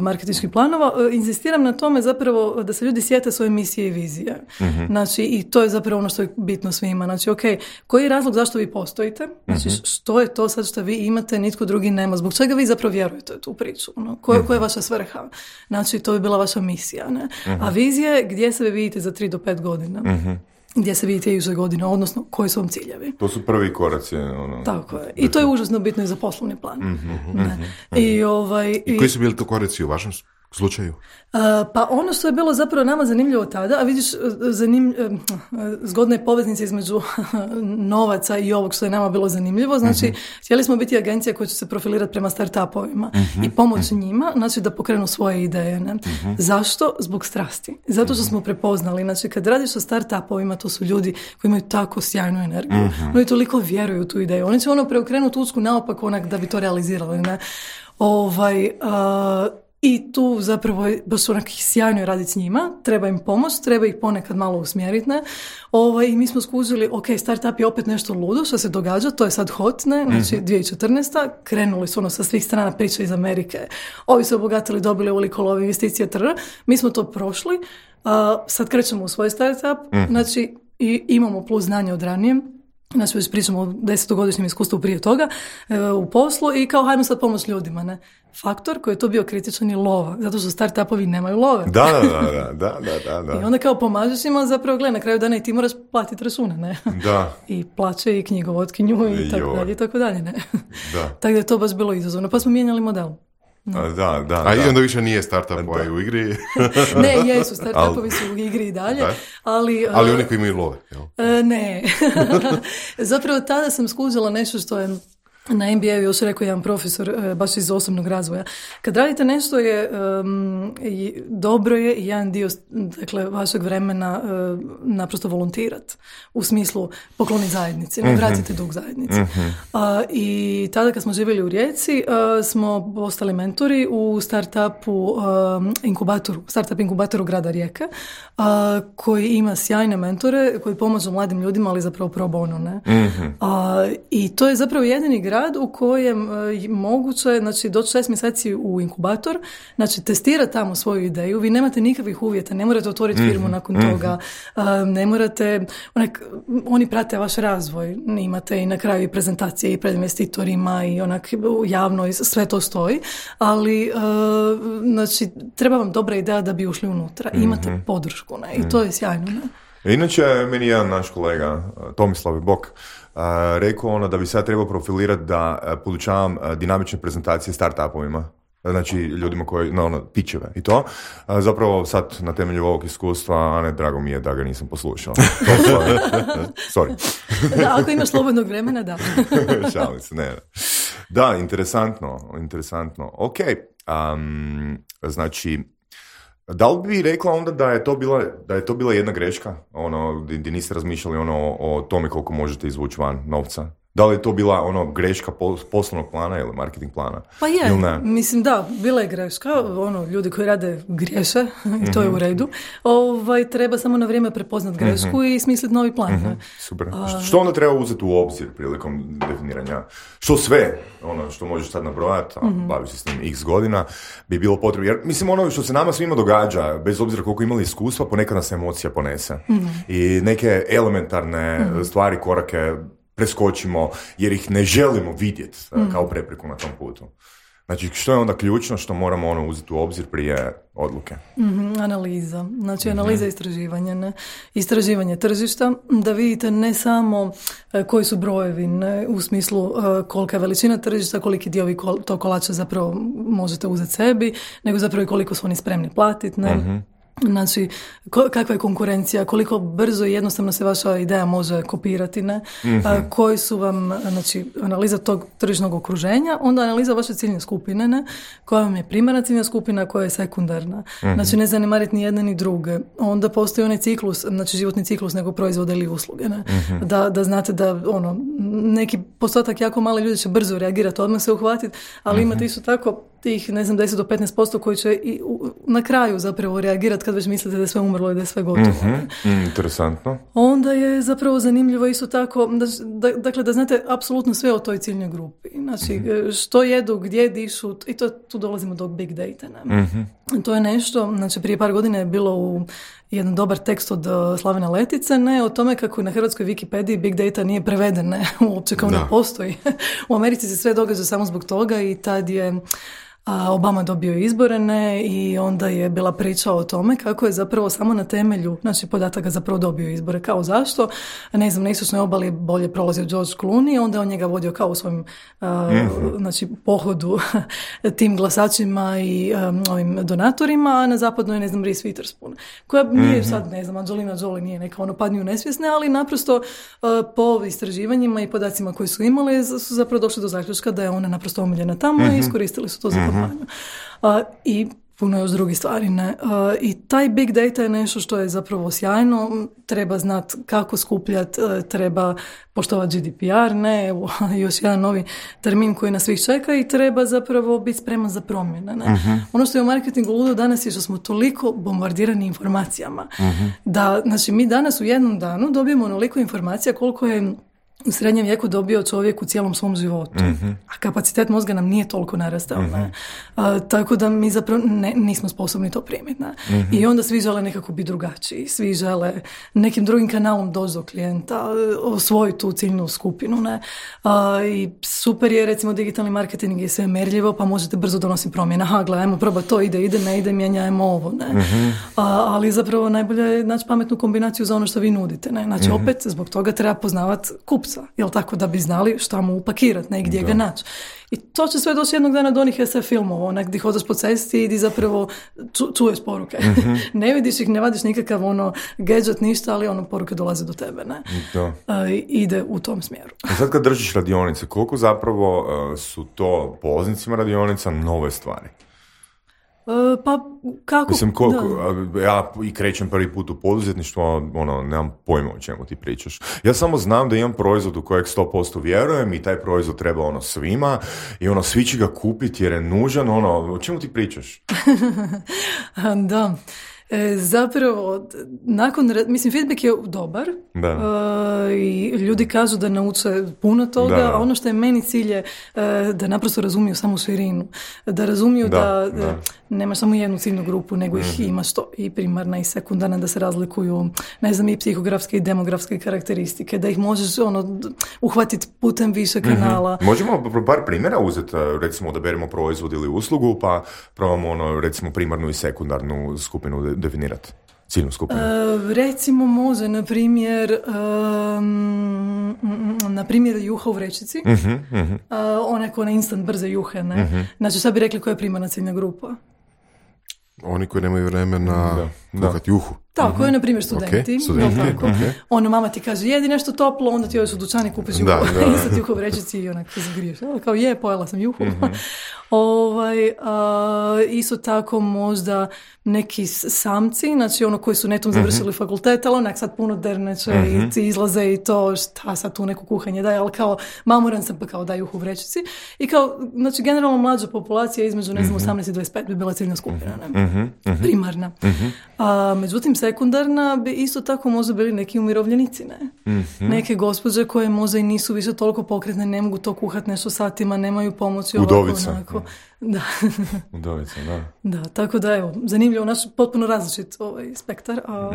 marketinških planova, inzistiram na tome zapravo da se ljudi sjete svoje misije i vizije. Znači, i to je zapravo ono što je bitno svima. Znači, ok, koji je razlog zašto vi postojite? Znači, što je to sad što vi imate, nitko drugi nema? Zbog čega vi zapravo vjerujete u tu priču? Koja je vaša svrha? Znači, to je bila vaša misija. Ne? A vizija je gdje se vi vidite za 3 do 5 godina. Gdje se vidite iduće godine, odnosno koji su vam ciljevi. To su prvi koraci. Tako je. I to je užasno bitno i za poslovni plan. I koji su bili to koraci u vašem slučaju? Pa ono što je bilo zapravo nama zanimljivo tada, a vidiš, zgodna je poveznica između novaca i ovog što je nama bilo zanimljivo, znači htjeli smo biti agencija koja će se profilirati prema startupovima i pomoći njima, znači da pokrenu svoje ideje. Ne? Zašto? Zbog strasti. Zato što smo prepoznali, znači kad radiš sa startupovima, to su ljudi koji imaju tako sjajnu energiju, oni toliko vjeruju u tu ideju, oni će preokrenuti usku naopako onak da bi to realizirali. Ne? I tu zapravo je baš onak sjajno je raditi s njima, treba im pomoć, treba ih ponekad malo usmjeriti, ne? I mi smo skužili, ok, startup je opet nešto ludo što se događa, to je sad hot, ne? Znači 2014. krenuli su sa svih strana priče iz Amerike, ovi su obogatili, dobili ovoliko love investicije, mi smo to prošli, sad krećemo u svoj startup, znači i imamo plus znanje od ranije. Znači, već pričamo o 10-godišnjem iskustvu prije toga u poslu i kao hajmo sad pomoć ljudima, ne? Faktor koji je to bio kritičan je lova, zato što startupovi nemaju love. Da. I onda kao pomažeš ima zapravo, gledaj, na kraju dana i ti moraš platiti račune, ne? Da. I plaće i knjigovodkinju i tako dalje, ne? Da. Tako da je to baš bilo izazovno, pa smo mijenjali model. Da. A i onda više nije startup u igri? Ne, jesu, startupovi su u igri i dalje. Ali oni koji imaju love, jel? Ne. Zapravo tada sam skužila nešto što je na MBA-u još rekao jedan profesor baš iz osobnog razvoja. Kad radite nešto je dobro je i jedan dio vašeg vremena naprosto volontirati. U smislu pokloniti zajednici, ne vratite dug zajednici. I tada kad smo živjeli u Rijeci smo postali mentori u startup inkubatoru grada Rijeke, koji ima sjajne mentore koji pomažu mladim ljudima, ali zapravo pro bono. Ne? I to je zapravo jedini grad u kojem moguće, znači, doći 6 mjeseci u inkubator, znači, testirati tamo svoju ideju, vi nemate nikakvih uvjeta, ne morate otvoriti firmu nakon toga, ne morate, oni prate vaš razvoj, imate i na kraju i prezentacije i pred investitorima i javno sve to stoji, ali znači, treba vam dobra ideja da bi ušli unutra, imate podršku, ne? I to je sjajno. Ne? Inače, meni jedan naš kolega, Tomislav Bok, rekao da bi sad trebao profilirati da podučavam dinamične prezentacije startupovima. znači ljudima koji, pičeve i to. Zapravo sad na temelju ovog iskustva, Ane, drago mi je da ga nisam poslušao. Sorry. Da, ako imaš slobodnog vremena, da. Šalim se, ne. Da, interesantno. Ok, znači, da li bi rekla onda da je to bila jedna greška, gdje niste razmišljali o tome koliko možete izvući van novca? Da li je to bila greška poslovnog plana ili marketing plana? Pa je, mislim da, bila je greška, ljudi koji rade griješe i to je u redu. Treba samo na vrijeme prepoznat grešku i smisliti novi plan. Super. Što onda treba uzeti u obzir prilikom definiranja? Što sve, što možeš sad nabrojati, a baviš se s tim x godina, bi bilo potrebno. Jer mislim, što se nama svima događa, bez obzira koliko imali iskustva, ponekad nas emocija ponese. I neke elementarne stvari, korake preskočimo jer ih ne želimo vidjeti kao prepreku na tom putu. Znači, što je onda ključno što moramo uzeti u obzir prije odluke? Analiza. Znači, analiza istraživanja. Ne? Istraživanje tržišta, da vidite ne samo koji su brojevi, ne? U smislu kolika je veličina tržišta, koliki dio vi to kolača zapravo možete uzeti sebi, nego zapravo i koliko su oni spremni platiti. Ne? Znači, kakva je konkurencija, koliko brzo i jednostavno se vaša ideja može kopirati, ne? Koji su vam, znači, analiza tog tržišnog okruženja, onda analiza vaše ciljne skupine, ne? Koja vam je primarna ciljna skupina, koja je sekundarna. Znači, ne zanemariti ni jedne ni druge. Onda postoji onaj ciklus, znači životni ciklus nego proizvoda ili usluge, ne? Da znate da, neki postotak jako mali ljudi će brzo reagirati, odmah se uhvatiti, ali imate isto tako tih, 10 do 15% koji će i na kraju zapravo reagirati kad već mislite da je sve umrlo i da je sve gotovo. Interesantno. Onda je zapravo zanimljivo isto tako, dakle da znate apsolutno sve o toj ciljnoj grupi. Znači, što jedu, gdje dišu, i tu dolazimo do big data. To je nešto, znači prije par godina je bilo u jedan dobar tekst od Slavena Letice, ne, o tome kako na hrvatskoj Wikipediji big data nije preveden, ne, uopće kao ne postoji. U Americi se sve događa samo zbog toga i tad je Obama dobio izbore, ne, i onda je bila priča o tome kako je zapravo samo na temelju, znači, podataka zapravo dobio izbore. Kao zašto? Ne znam, na istočnoj obali bolje prolazio George Clooney, onda on njega vodio kao u svojim znači, pohodu tim glasačima i ovim donatorima, a na zapadnoj, ne znam, Reese Witherspoon, koja nije sad, ne znam, Angelina Jolie nije neka padnju nesvjesne, ali naprosto po istraživanjima i podacima koji su imali su zapravo došli do zaključka da je ona naprosto omiljena tamo i iskoristili su to za i puno još drugih stvari. Ne? I taj big data je nešto što je zapravo sjajno, treba znati kako skupljati, treba poštovati GDPR, ne, evo, još jedan novi termin koji nas svih čeka i treba zapravo biti spreman za promjene. Ne? Ono što je u marketingu ludo danas je što smo toliko bombardirani informacijama, da, znači, mi danas u jednom danu dobijemo onoliko informacija koliko je u srednjem vijeku dobio čovjek u cijelom svom životu. A kapacitet mozga nam nije toliko narastao. Tako da mi zapravo nismo sposobni to primiti. I onda svi žele nekako biti drugačiji. Svi žele nekim drugim kanalom doći do klijenta, osvojiti tu ciljnu skupinu. I super je, recimo, digitalni marketing je sve merljivo, pa možete brzo donositi promjene. Aha, gledajmo, proba to, ide, ne ide, mijenjajmo ovo. Ali zapravo najbolje je naći pametnu kombinaciju za ono što vi nudite. Znači, opet, zbog toga treba poznavati kupca, jel tako, da bi znali šta mu upakirati, ne, gdje ga naći. I to će sve doći jednog dana do onih SF filmova, onak gdje hodaš po cesti i gdje zapravo čuješ poruke. Ne vidiš ih, ne vadiš nikakav gadget, ništa, ali poruke dolaze do tebe. Ne? Ide u tom smjeru. A sad kad držiš radionice, koliko zapravo su to polaznicima radionica nove stvari? Pa kako? Mislim, ja i krećem prvi put u poduzetništvo, nemam pojma o čemu ti pričaš. Ja samo znam da imam proizvod u kojeg 100% vjerujem i taj proizvod treba svima i svi će ga kupiti jer je nužan, o čemu ti pričaš? Da. Zapravo, mislim, feedback je dobar i ljudi kažu da nauče puno toga, a ono što je meni cilj je da naprosto razumiju samu širinu, da razumiju da nemaš samo jednu ciljnu grupu, nego ih imaš to i primarna i sekundarna, da se razlikuju, ne znam, i psihografske i demografske karakteristike, da ih možeš uhvatiti putem više kanala. Možemo par primjera uzeti, recimo da beremo proizvod ili uslugu, pa probamo recimo primarnu i sekundarnu skupinu definirati, ciljnu skupinu. Recimo može, na primjer, na primjer juha u vrećici, onako na instant brze juhe, ne? Znači, šta bi rekli koja je primarna ciljna grupa? Oni koji nemaju vremena kuhati juhu. Tako je, na primjer, studenti. Okay. Ono, mama ti kaže, jedi nešto toplo, onda ti odeš u dućan i kupiš juhu. I sad juhu u vrećici i onako zagriješ. Kao pojela sam juhu. Isto tako možda neki samci, znači ono koji su netom završili fakultet, ali onak sad puno derneće i ti izlaze i to šta sad tu neko kuhanje daje, ali kao mamuran sam pa kao daj juhu u vrećici. I kao, znači generalno mlađa populacija između, ne znam, 18 i 25 bi bila ciljna skupina, ne? Primarna. Međutim, sekundarna bi isto tako možda bili neki umirovljenici, ne? Neke gospođe koje možda i nisu više toliko pokretne, ne mogu to kuhati nešto satima, nemaju pomoći. Udovica. Ovako, da. Udovica, da. Da, tako da evo, zanimljivo, naš potpuno različit spektar, a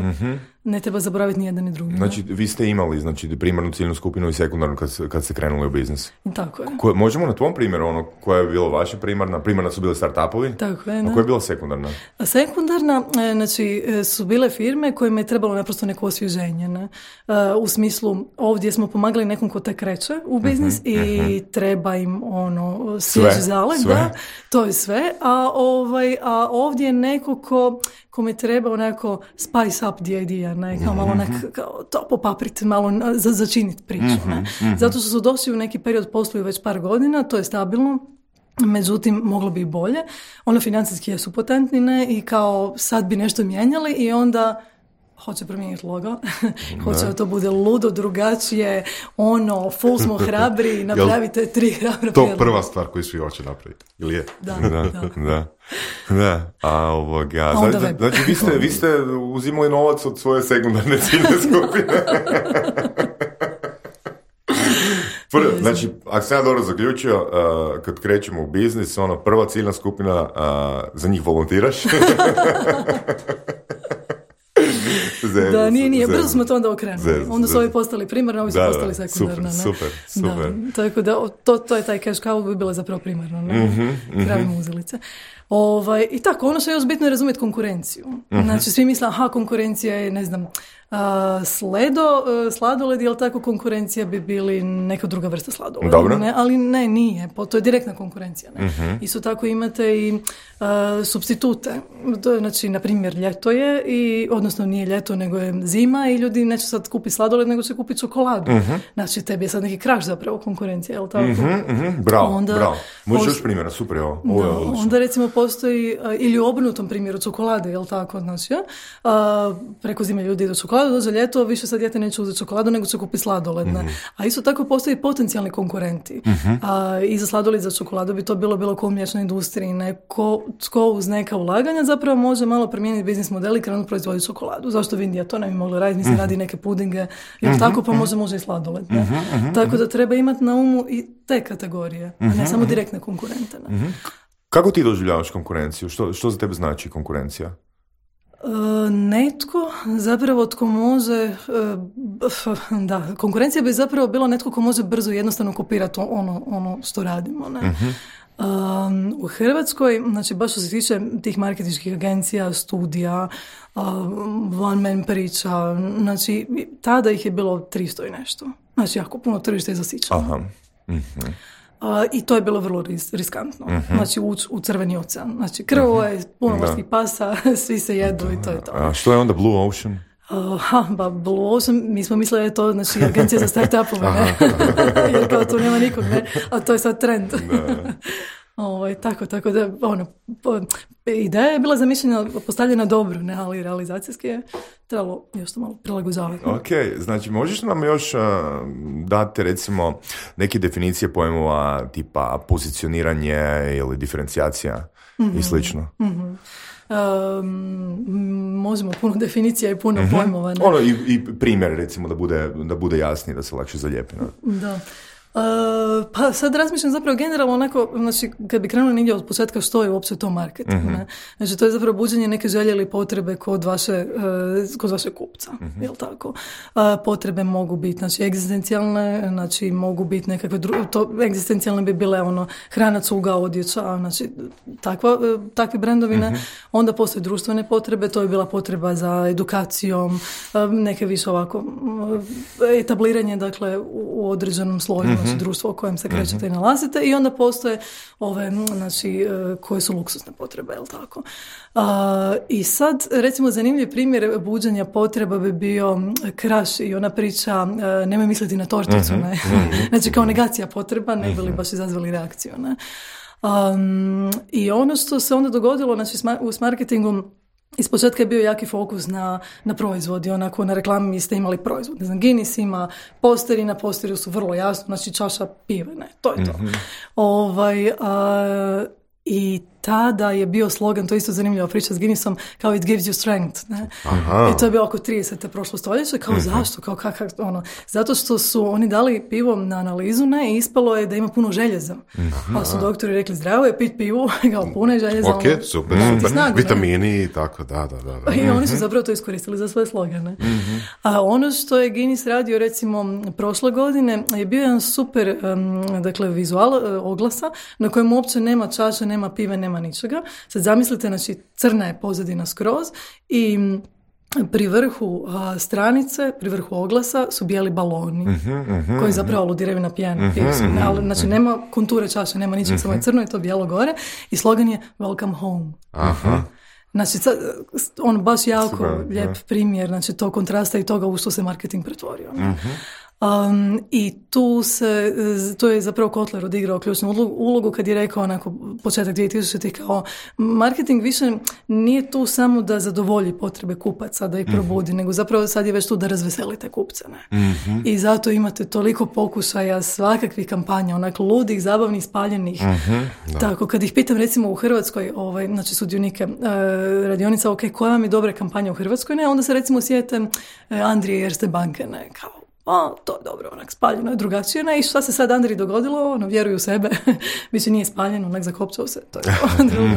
ne treba zaboraviti ni jedan ni drugi. Znači, vi ste imali primarnu ciljnu skupinu i sekundarnu kad ste krenuli u biznis. Tako je. Možemo na tvom primjeru, koja je bila vaša primarna su bile start-upovi? Tako je, da. A koja je bila sekundarna? A sekundarna, znači, su bile firme kojima je trebalo naprosto neko osvježenje, ne? U smislu, ovdje smo pomagali nekom ko tek kreće u biznis i treba im svježi zalet, da, to je sve, a ovdje je neko kome treba onako spice up the idea, ne, kao malo kao to popaprit, malo začiniti priču, ne. Zato što su došli u neki period, posluju već par godina, to je stabilno, međutim, moglo bi i bolje. Financijski jesu potentni, ne, i kao sad bi nešto mijenjali i onda hoće promijeniti logo, hoće da to bude ludo, drugačije, full smo hrabri, napravite 3 hrabra to prva stvar koju svi hoće napraviti, ili je? Da. Znači, vi ste uzimali novac od svoje sekundarne ciljne skupine. Znači, ako sam ja dobro zaključio, kad krećemo u biznis, prva ciljna skupina, za njih volontiraš. Da, nije. Brzo smo to onda okrenuli. Onda su ovi postali primarno, ovi su postali sekundarno. Super. Da, tako da, to je taj cash cow bi bila zapravo primarno. Kravi muzelice. I tako, što je još bitno je razumjeti konkurenciju. Znači, svi misle, konkurencija je, ne znam, sladoled, jel tako, konkurencija bi bili neka druga vrsta sladoleda. Ne, ali ne, nije. To je direktna konkurencija. Ne? Isto tako imate i supstitute. To je, znači, na primjer, ljeto je, odnosno nije ljeto, nego je zima i ljudi neće sad kupiti sladoled, nego će kupiti čokoladu. Znači, tebi je sad neki kraš zapravo konkurencija, jel tako? Bravo. Možeš još primjera, super je ovo. Onda recimo postoji, ili u obrnutom primjeru čokolade, jel tako? Znači, preko zime ljudi idu čokoladu, dođe ljeto, više sad dijete neće uzeti čokoladu, nego će kupiti sladoled. A isto tako postoji potencijalni konkurenti. I za sladoled i za čokoladu bi to bilo ko u mliječnoj industriji. Ko uz neka ulaganja zapravo može malo promijeniti biznis model i krenuti proizvoditi čokoladu. Zašto bi Indija to ne bi mogla raditi? Mislim, radi neke pudinge, jel tako, pa može i sladoled. Tako da treba imati na umu i te kategorije, a ne samo direktne konkurente. Kako ti doživljavaš konkurenciju? Što za tebe znači konkurencija? Netko zapravo tko može, konkurencija bi zapravo bila netko ko može brzo i jednostavno kopirati ono što radimo. Ne? U Hrvatskoj, znači baš što se tiče tih marketinških agencija, studija, one man priča, znači tada ih je bilo 300 i nešto. Znači jako puno tržište je zasićeno. I to je bilo vrlo riskantno. Znači u crveni ocean. Znači krvo je puno morskih pasa, svi se jedu i to je to. A što je onda Blue Ocean? Blue Ocean, mi smo mislili da je to, znači, agencija za start-upove, ne? Jer kao tu nema nikog, ne? A to je sad trend. Tako da, ideja je bila zamišljena, postavljena dobro, ne, ali realizacijski je trebalo još to malo prilagođavati. Ok, znači možeš nam još dati recimo neke definicije pojmova tipa pozicioniranje ili diferencijacija i slično? Možemo puno definicija i puno pojmova. Ne? I primjer recimo da bude jasnije, da se lakše zalijepi. Da. Pa sad razmišljam zapravo generalno onako, znači kad bi krenuli negdje od početka što je uopće to marketing, ne? Znači to je zapravo buđenje neke želje ili potrebe kod vaše kupca, jel tako? Potrebe mogu biti, znači egzistencijalne, znači mogu biti nekakve egzistencijalne bi bile hrana, cuga, odjeća, znači takvi brendovi, ne? Onda postoje društvene potrebe, to je bila potreba za edukacijom, neke više ovako etabliranje, dakle, u određenom sloju, znači društvo u kojem se krećete i nalazite, i onda postoje ove, znači, koje su luksuzne potrebe, jel tako? I sad, recimo, zanimljiv primjer buđenja potreba bi bio Kraš i ona priča nemoj misliti na torticu, ne? Znači, kao negacija potreba, ne bi li baš izazvali reakciju, ne? I ono što se onda dogodilo, znači, s marketingom, ispočetka je bio jaki fokus na proizvodi, onako na reklami ste imali proizvod. Ne znam, Guinness ima posteri, na posteru su vrlo jasno, znači čaša pive, ne, to je to. I tada je bio slogan, to je isto zanimljiva priča s Guinnessom, kao it gives you strength, ne? I to je bilo oko 30. prošlo stoljeće, kao zašto, kao kakav, zato što su oni dali pivo na analizu, ne, i ispalo je da ima puno željeza. Pa su doktori rekli, zdravo je pit pivu, kao puno je željeza. Ok, super, snagu, vitamini i tako, da. I oni su zapravo to iskoristili za svoje slogane. A ono što je Guinness radio, recimo, prošle godine, je bio jedan super, dakle, vizual oglasa, na kojem uopće nema čaše, nema pive, nema ničega. Sad zamislite, znači, crna je pozadina skroz i pri vrhu stranice, pri vrhu oglasa su bijeli baloni koji zapravo aludiraju na pijenu. Ali, znači, nema konture čaše, nema ničeg, samo je crno i to bijelo gore i slogan je Welcome home. Znači, on baš jako lijep primjer, znači, to kontrasta i toga u što se marketing pretvorio. I tu je zapravo Kotler odigrao ključnu ulogu kad je rekao onako početak 2000-ih kao marketing više nije tu samo da zadovolji potrebe kupaca, da ih probudi, nego zapravo sad je već tu da razveselite kupce. Ne? I zato imate toliko pokušaja svakakvih kampanja, onako ludih, zabavnih, spaljenih. Tako, kad ih pitam recimo u Hrvatskoj, znači sudionike radionica, ok, koja vam je dobra kampanja u Hrvatskoj, ne, onda se recimo sjete Andrije Erste banke, ne, kao to je dobro, onak spaljeno je drugačije, ne, i šta se sad Andriji dogodilo, vjeruju u sebe, više nije spaljeno, onak zakopčao se, to je drugo.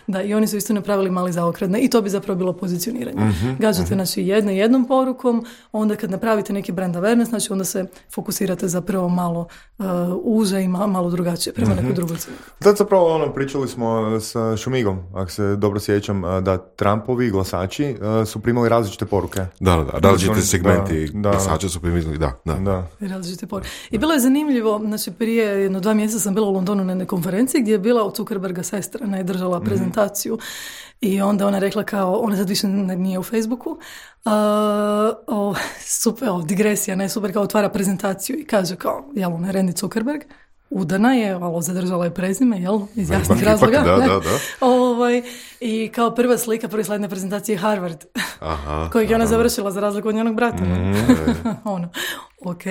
Da, i oni su isto napravili mali zaokret, i to bi zapravo bilo pozicioniranje. Gađate, znači, jednom porukom, onda kad napravite neki brand awareness, znači, onda se fokusirate zapravo malo uže i malo drugačije prema nekoj drugoj cijeni. Sad zapravo, pričali smo sa Šumigom, ako se dobro sjećam, da Trumpovi glasači su primali različite poruke. Da, različite segmenti glasača su primili. Da. Različite poruke. I bilo je zanimljivo, znači prije 2 mjeseca sam bila u Londonu na jednoj konferenciji gdje je bila od Zuckerberga sestra, ne, držala prezentaciju i onda ona rekla kao, ona sad više nije u Facebooku, super, digresija, ne, super, kao otvara prezentaciju i kaže kao, jel, ne, Randy Zuckerberg, udana je, ali zadržala je prezime, jel, iz jasnih razloga. Da. I kao prva slajd na prezentaciji je Harvard, kojeg je ona završila za razliku od njenog brata. Ok.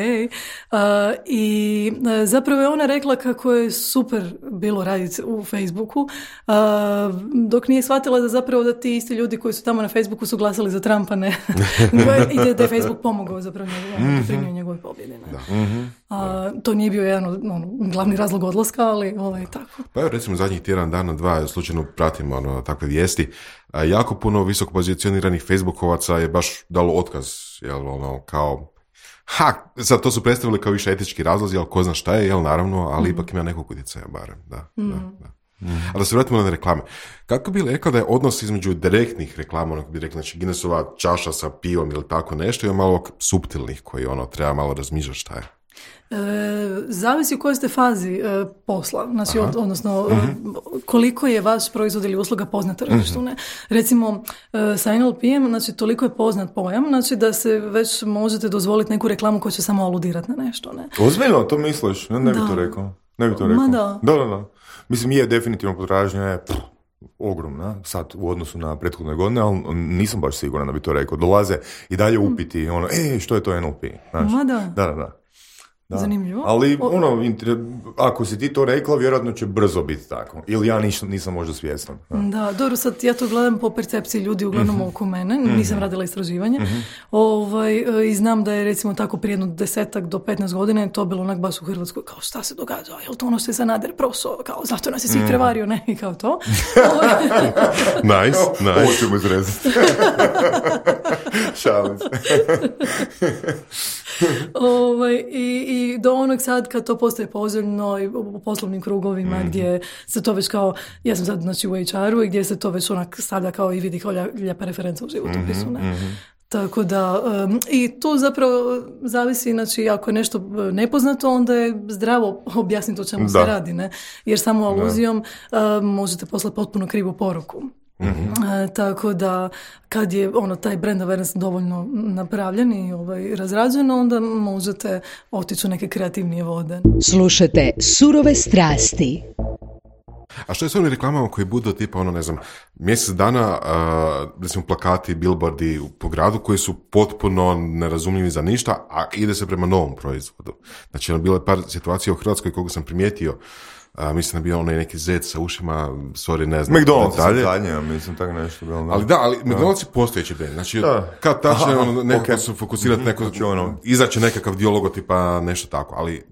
I zapravo je ona rekla kako je super bilo raditi u Facebooku, dok nije shvatila da zapravo da ti isti ljudi koji su tamo na Facebooku su glasali za Trumpa, ne. I da je Facebook pomogao zapravo doprinio njegove pobjede. To nije bio jedan glavni razlog odlaska, ali tako. Pa evo, recimo zadnjih tjedan dana, 2, slučajno pratim takve vijesti. Jako puno visoko pozicioniranih Facebookovaca je baš dalo otkaz, jel, kao sad to su predstavili kao više etički razlozi, jel, ko zna šta je, jel, naravno, ali ipak ima nekog utjecaja barem, da. A da se vratimo na reklame. Kako bi rekla da je odnos između direktnih reklama, onako bi rekla, znači Guinnessova čaša sa pivom ili tako nešto, i malo suptilnih koji treba malo razmišljati šta je? Zavisi u kojoj ste fazi posla, znači, odnosno koliko je vaš proizvod ili usluga poznat tržištu. Recimo sa NLP-em, znači, toliko je poznat pojam, znači, da se već možete dozvoliti neku reklamu koja će samo aludirati na nešto. Ne? Ozbiljno, to misliš? Ne bi to rekao. Da. Mislim, je definitivno potražnja je ogromna, sad u odnosu na prethodne godine, ali nisam baš siguran da bi to rekao. Dolaze i dalje upiti, što je to NLP? Znaš? Da. Zanimljivo. Ali, ako si ti to rekla, vjerojatno će brzo biti tako. Ili ja nisam možda svjestan. Da, dobro, sad ja to gledam po percepciji ljudi uglavnom oko mene. Nisam radila istraživanje. I znam da je recimo tako prije jedno 10 do 15 godina je to bilo onak baš u Hrvatskoj. Kao, šta se događa? Jel to ono što je Sanader proso? Kao, zato nas je svih prevario, ne? I kao to. Nice. Ovo ćemo izrezati. Šalim se. I do onog sad kad to postaje poželjno i u poslovnim krugovima gdje se to već kao, ja sam sad znači u HR-u i gdje se to već onak stavlja kao i vidi kao lijepa referenca u životopisu. Tako da, i tu zapravo zavisi, znači ako je nešto nepoznato, onda je zdravo objasniti o čemu se radi, ne? Jer samo aluzijom možete poslati potpuno krivu poruku. Tako da kad je taj brand awareness dovoljno napravljen i razrađen, onda možete otići u neke kreativnije vode. Slušajte Surove strasti. A što je s onim reklamama koji budu tipa, mjesec dana, recimo plakati, billboardi po gradu koji su potpuno nerazumljivi za ništa, a ide se prema novom proizvodu. Znači, bilo je par situacija u Hrvatskoj koga sam primijetio. Mislim da je bio onaj neki zec sa ušima, sorry, ne znam. McDonald's zadnje, mislim tako nešto bilo. Ali McDonald's je postojeći brand. Znači, kad tačno nekako se fokusirati, izaći nekakav dio logotipa, nešto tako. Ali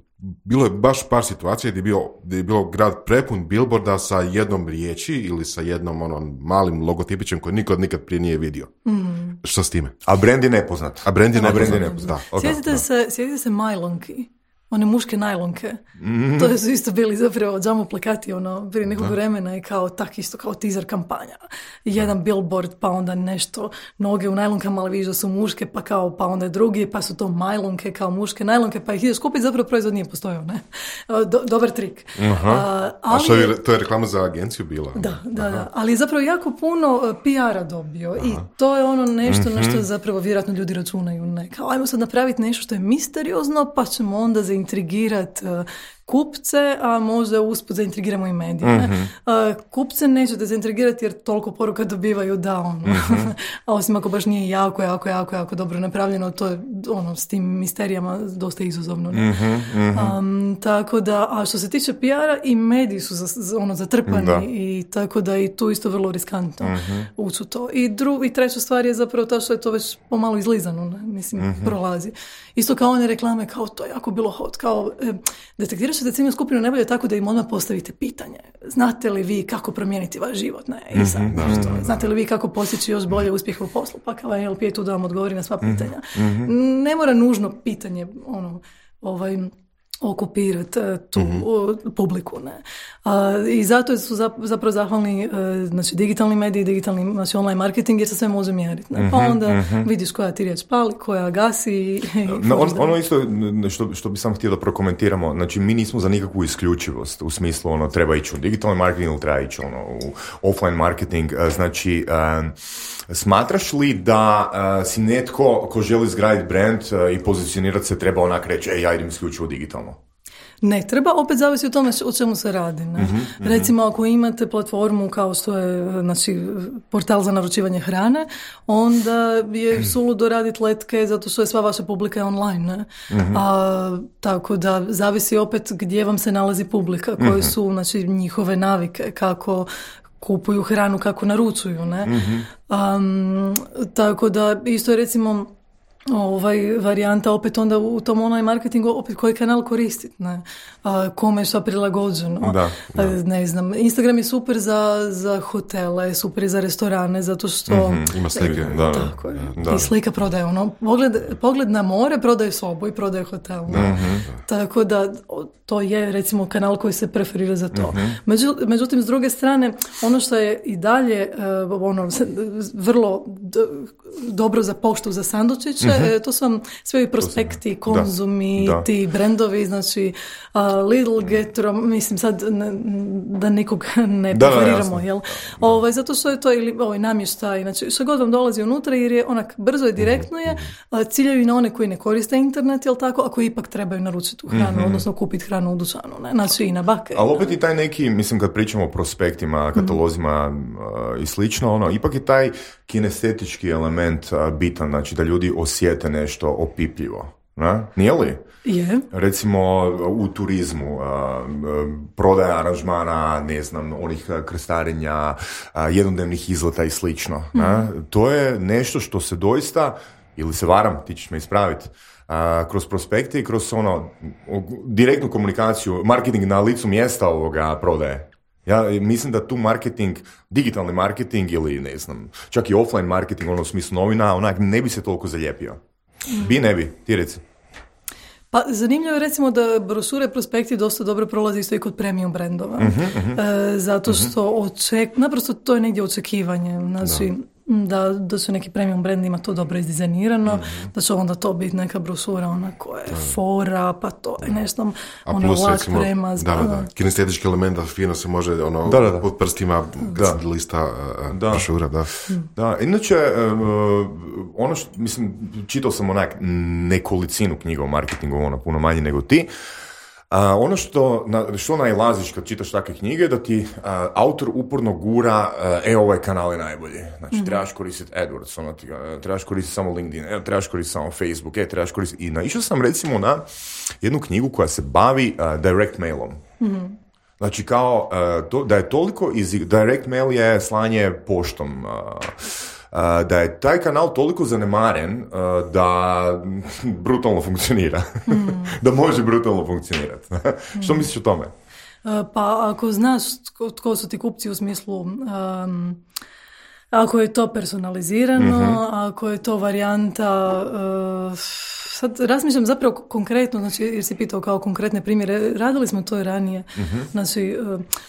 bilo je baš par situacija gdje je bilo grad prepun billboarda sa jednom riječi ili sa jednom malim logotipićem koji niko nikad prije nije vidio. Što s time? A brand je nepoznat. Da. Sjetite se Majlonki. One muške najlonke. To su isto bili zapravo džamo plakati prije nekog vremena i kao tak isto kao teaser kampanja. Jedan billboard, pa onda nešto noge u najlonkama, ali vidiš da su muške, pa onda je drugi, pa su to majlonke kao muške najlonke, pa ih ideš kupiti, zapravo proizvod nije postojao, ne? Dobar trik. A što je, to je reklama za agenciju bila? Da. Ali je zapravo jako puno PR-a dobio i to je nešto na što zapravo vjerojatno ljudi računaju. Ne? Kao, ajmo sad napraviti nešto što je misteriozno, pa ćemo onda zaintrigirati kupce, a možda usput zaintrigiramo i medije. Kupce nećete zaintrigirati jer toliko poruka dobivaju a osim ako baš nije jako dobro napravljeno, to je s tim misterijama dosta izazovno. Tako da, a što se tiče PR-a i mediji su zatrpani i tako da i tu isto vrlo riskantno ući u to. I treća stvar je zapravo ta što je to već pomalo izlizano, prolazi. Isto kao one reklame, kao to je jako bilo hot, kao detektiraš da ciljnu skupinu ne bolje tako da im odmah postavite pitanje. Znate li vi kako promijeniti vaš život? Ne, i sad, znate li vi kako postići još bolje uspjeh u poslu? Pa kao NLP je tu da vam odgovori na sva pitanja. Ne mora nužno pitanje okupirati tu publiku. Ne? I zato su zapravo zahvalni digitalni mediji, online marketing jer se sve može mjeriti. Pa onda vidiš koja ti riječ pali, koja gasi. Ono isto što bi sam htio da prokomentiramo, znači mi nismo za nikakvu isključivost u smislu treba ići u digitalni marketing ili treba ići u offline marketing. Znači smatraš li da si netko ko želi izgraditi brand i pozicionirati se treba onak reći ja idem isključivo digitalno? Ne treba, opet zavisi o tome o čemu se radi. Ne? Recimo, ako imate platformu kao što je portal za naručivanje hrane, onda je suludo raditi letke zato što je sva vaša publika online. Ne? Tako da zavisi opet gdje vam se nalazi publika, koje su njihove navike, kako kupuju hranu, kako naručuju. Ne? Tako da isto je recimo varijanta opet onda u tom online marketingu opet koji kanal koristiti, ne? Kome je što prilagođeno. Ne znam, Instagram je super za hotele, super je za restorane, zato što ima slike, tako je. I slika prodaje pogled na more prodaje sobu i prodaje hotel. Tako da to je recimo kanal koji se preferira za to. Međutim, s druge strane, ono što je i dalje vrlo dobro za poštu za sandučiće, to su vam sve i prospekti, konzumi, ti brendovi, znači Lidl, Getro, mislim sad da nikog ne preferiramo, jel? Zato što je to ili namještaj, znači što god vam dolazi unutra jer je onak brzo i direktno je, ciljaju i na one koji ne koriste internet, jel tako, a koji ipak trebaju naručiti tu hranu, odnosno kupiti hranu u dućanu, ne? Znači i na bake. Ali opet i taj neki, mislim kad pričamo o prospektima, katalozima i slično, ipak je taj kinestetički element bitan, znači da ljudi osjete nešto opipljivo. Ne? Nije li? Je. Recimo u turizmu, prodaja aranžmana, ne znam, onih krstarenja, jednodnevnih izleta i slično. To je nešto što se doista, ili se varam, ti ćeš me ispraviti, kroz prospekte i kroz direktnu komunikaciju, marketing na licu mjesta ovoga prodaje. Ja mislim da tu marketing, digitalni marketing ili ne znam, čak i offline marketing, u smislu novina, onak ne bi se toliko zalijepio. Ne bi, ti reci. Pa zanimljivo je recimo da brošure prospekti dosta dobro prolazi isto i kod premium brendova. Zato što naprosto to je negdje očekivanje. Znači, da su neki premium brand ima to dobro izdizajnirano, da će onda to biti neka brošura ona koja je fora, pa to je nešto lak premaz. Kinestetički element, fino se može pod prstima lista brošura. Da, inače, čitao sam nekolicinu knjiga o marketingu, puno manje nego ti. Ono što najlaziš kad čitaš takve knjige, da ti autor uporno gura ovaj kanal je najbolji. Znači, trebaš koristiti AdWords, trebaš koristiti samo LinkedIn, trebaš koristiti samo Facebook, trebaš koristiti... I naišao sam recimo na jednu knjigu koja se bavi direct mailom. Znači, kao da je toliko direct mail je slanje poštom, da je taj kanal toliko zanemaren da brutalno funkcionira. Da može brutalno funkcionirati. Što misliš o tome? Pa ako znaš tko su ti kupci u smislu... ako je to personalizirano, ako je to varijanta... sad razmišljam zapravo konkretno, znači, jer si pitao kao konkretne primjere, radili smo to i ranije. Znači,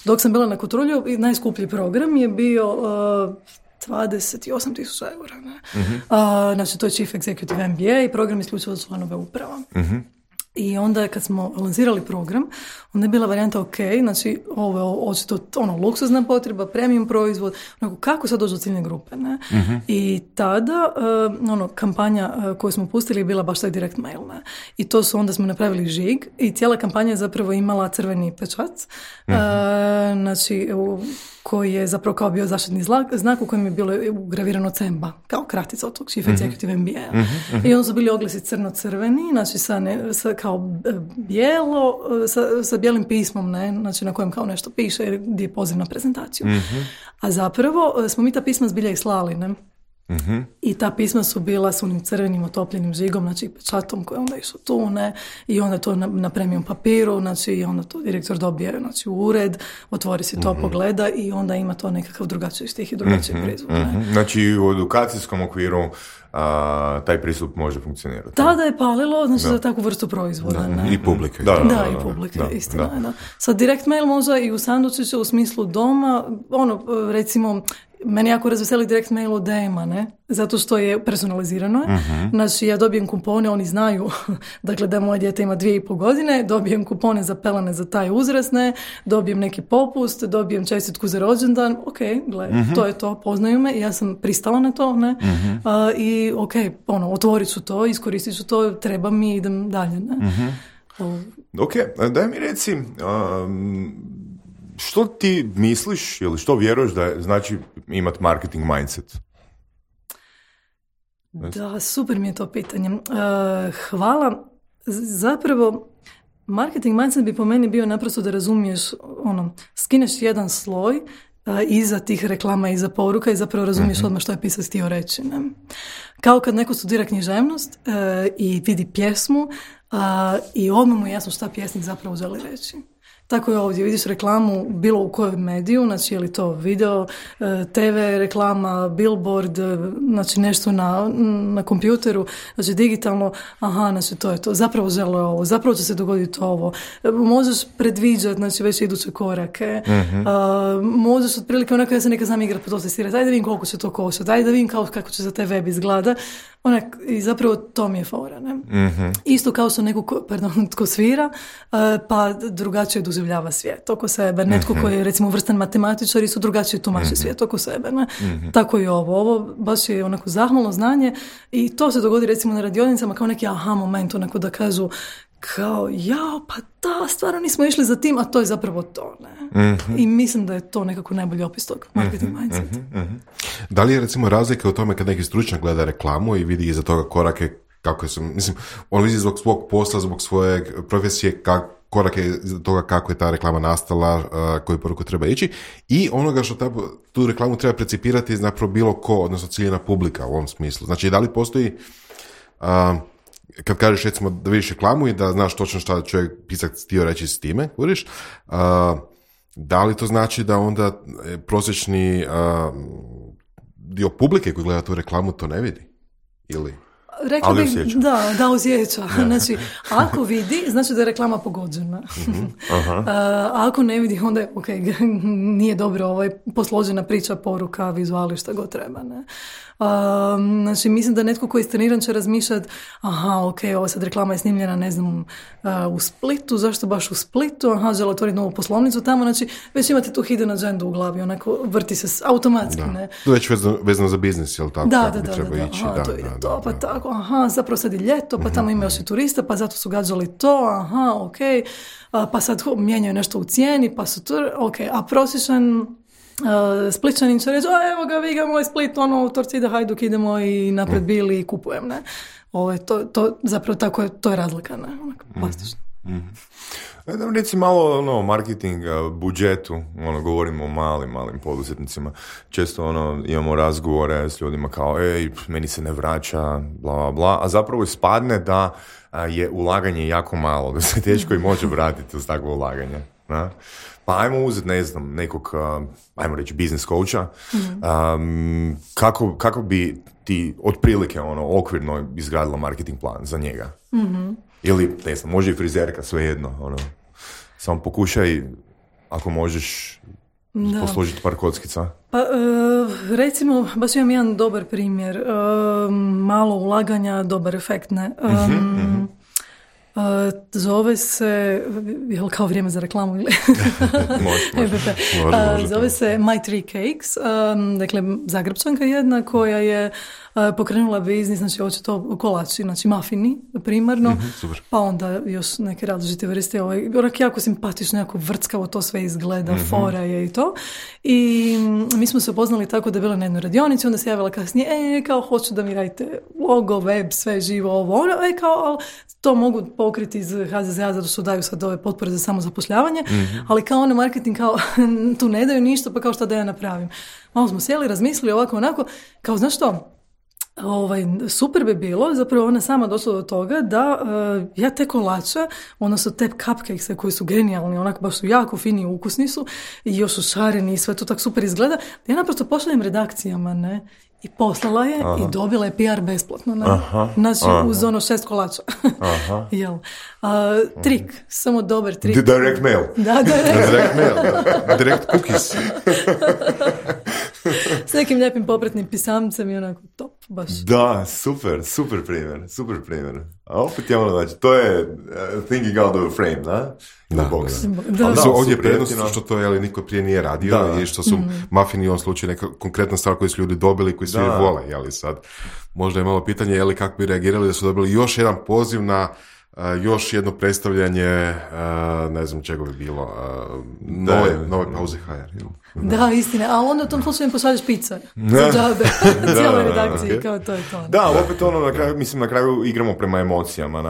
dok sam bila na Kotrulju, najskuplji program je bio 28.000 eura. Znači, to je Chief Executive MBA i program isključivo za članove uprava. I onda kad smo lansirali program, onda je bila varijanta znači ovo je očito luksuzna potreba, premium proizvod, kako sad dođu do ciljne grupe, ne? I tada kampanja koju smo pustili je bila baš taj direct mail, ne? I to su onda smo napravili žig i cijela kampanja je zapravo imala crveni pečat, znači koji je zapravo kao bio zaštitni znak u kojem je bilo ugravirano CEMBA, kao kratica od tog Chief Executive MBA. I onda su bili oglasi crno-crveni, znači sa kao bijelo, sa bijelim pismom, ne? Znači na kojem kao nešto piše gdje je poziv na prezentaciju. A zapravo smo mi ta pisma zbilja i slali, ne? I ta pisma su bila s onim crvenim otopljenim žigom, znači pečatom koji onda išao tu, ne? I onda to na premium papiru, znači i onda to direktor dobije, znači, u ured, otvori si to, pogleda i onda ima to nekakav drugačiji stih i drugačiji prizvuk. Znači u edukacijskom okviru taj pristup može funkcionirati. Tada je palilo, znači, za takvu vrstu proizvoda. Ne? I publike. I publike, istina. Da. Sad direct mail može i u sandučiću u smislu doma, recimo, meni jako razveseli direct mail od DM-a, ne? Zato što je personalizirano. Znači, ja dobijem kupone, oni znaju, dakle, da moje dijete ima 2,5 godine, dobijem kupone za pelene za taj uzrast, ne? Dobijem neki popust, dobijem čestitku za rođendan, to je to, poznaju me, ja sam pristala na to, ne? I otvorit ću to, iskoristit ću to, treba mi, idem dalje, ne? Daj mi reci, što ti misliš ili što vjeruješ da je, znači, imati marketing mindset? Da, super mi je to pitanje. Hvala. Zapravo, marketing mindset bi po meni bio naprosto da razumiješ, skineš jedan sloj iza tih reklama, iza poruka i zapravo razumiješ odmah što je pisac htio reći. Ne? Kao kad neko studira književnost i vidi pjesmu i odmah mu je jasno šta pjesnik zapravo želi reći. Tako je ovdje, vidiš reklamu bilo u kojem mediju, znači je li to video, TV reklama, billboard, znači nešto na kompjuteru, znači digitalno, znači to je to, zapravo žele ovo, zapravo će se dogoditi ovo, možeš predviđati, znači već iduće korake, možeš otprilike onako ja se neka znam igrati po to testirati, daj da vidim koliko će to koštati, daj da vidim kako će za taj web izgleda, i zapravo to mi je fora, ne? Isto kao što neko, tko svira, pa drugačije doživljava svijet oko sebe. Netko koji je recimo vrstan matematičar isto drugačije tumači svijet oko sebe. Ne? Tako i ovo baš je onako zahvalno znanje i to se dogodi recimo na radionicama kao neki aha moment, onako da kažu kao, pa da, stvarno nismo išli za tim, a to je zapravo to, ne? I mislim da je to nekako najbolji opis tog marketing mindset. Da li je recimo razlika u tome kad neki stručnjak gleda reklamu i vidi iza toga korake kako sam, mislim, on vidi zbog svog posla, zbog svoje profesije, korak je toga kako je ta reklama nastala, koju poruku treba ići i onoga što tu reklamu treba precipirati zapravo bilo ko, odnosno ciljena publika u ovom smislu. Znači, da li postoji, kad kažeš recimo da vidiš reklamu i da znaš točno šta čovjek pisac htio reći s time, govoriš, da li to znači da onda prosječni dio publike koji gleda tu reklamu to ne vidi? Ili... Rekla bih, da osjeća. Znači, ako vidi, znači da je reklama pogođena. Ako ne vidi, onda je, nije dobro posložena priča, poruka, vizuali, šta god treba. Ne? Znači, mislim da netko koji je treniran će razmišljati, ova sad reklama je snimljena, ne znam, u Splitu, zašto baš u Splitu, žele otvoriti novu poslovnicu tamo, znači, već imate tu hidden agenda u glavi, onako, vrti se automatski, ne? To je već vezano za biznis, jel tako? Da. To ide to, pa tako, zapravo sad je ljeto, pa tamo ima još i turista, pa zato su gađali to, pa sad mijenjaju nešto u cijeni, pa su a prosječan Spličanin će reći, evo ga, vi ga moj Split, Torcida, Hajduk, idemo i napred bili i kupujem, ne? To zapravo tako je, to je razlika, ne? Plastično. Reci malo o marketing budžetu, govorimo o malim poduzetnicima. Često imamo razgovore s ljudima kao, meni se ne vraća, bla, bla, bla, a zapravo ispadne da je ulaganje jako malo, da se teško i može vratiti uz takvo ulaganje. Na? Pa ajmo uzeti, ne znam, nekog, ajmo reći, biznis coacha, kako bi ti otprilike okvirno izgradila marketing plan za njega? Ili, ne znam, može i frizerka, svejedno, samo pokušaj, ako možeš, posložiti par kockica. Pa, recimo, baš imam jedan dobar primjer, malo ulaganja, dobar efekt, ne? Zove se, jel kao vrijeme za reklamu ili? Može. Zove se My Three Cakes, dakle Zagrebčanka jedna koja je pokrenula biznis, znači očito kolači, znači mafini primarno, pa onda još neke različite vrste, onak jako simpatično, jako vrckavo to sve izgleda, fora je i to. I mi smo se upoznali tako da je bila na jednoj radionici, onda se javila kasnije, kao hoću da mi radite logo, web, sve živo, ovo, kao, to mogu pokriti iz HZZ-a zato što daju sad ove potpore za samozapošljavanje, ali kao marketing, kao tu ne daju ništa, pa kao šta da ja napravim. Malo smo sjeli, razmislili ovako, onako, kao znaš što, super bi bilo, zapravo ona sama došla do toga da ja te kolače, odnosno te cupcakese koji su genijalni, onako baš su jako fini i ukusni su i još su šareni i sve to tako super izgleda, da ja naprosto pošaljem redakcijama, ne? I poslala je i dobila je PR besplatno. Ne? Znači uz 6 kolača. Jel? Trik, samo dobar trik. Direct mail. Da, direct mail. Direct cookies. S nekim lijepim popratnim pisamcem i onako top, baš. Da, super primjer. A opet je znači, to je thinking out of the frame, da? Ali su ovdje prednost što to niko prije nije radio i što su mafini u ovom slučaju neka konkretna stvar koju su ljudi dobili, koji svi vole, sad možda je malo pitanje kako bi reagirali da su dobili još jedan nove još jedno predstavljanje, ne znam čega bi bilo, nove pauze HR. Da, istina, ali onda u tom slučaju pošalješ pizza za džabe, cijeloj redakciji, kao to je to. Da, opet na kraju igramo prema emocijama,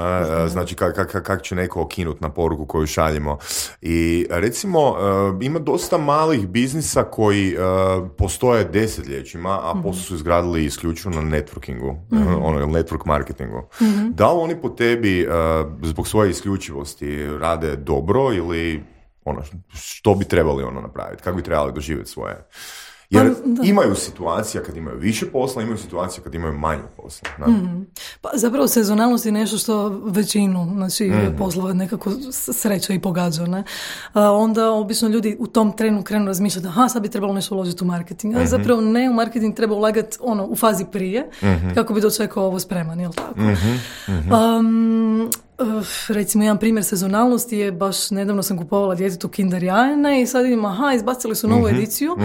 znači kako će neko okinut na poruku koju šaljemo. I recimo, ima dosta malih biznisa koji postoje desetljećima, a posle su izgradili isključivo na networkingu, network marketingu. Da li oni po tebi zbog svoje isključivosti rade dobro ili što bi trebali napraviti, kako bi trebali doživjeti svoje? Jer imaju situacija kad imaju više posla, imaju situacija kad imaju manje posla. Pa zapravo sezonalnost je nešto što većinu poslova nekako sreća i pogađa. Ne? Onda obično ljudi u tom trenu krenu razmišljati sad bi trebalo nešto uložiti u marketing. A zapravo ne, u marketing treba ulagati u fazi prije kako bi dočekao ovo spreman, jel tako? Recimo, jedan primjer sezonalnosti je, baš nedavno sam kupovala djetetu Kinder jajene i sad vidim, izbacili su novu ediciju,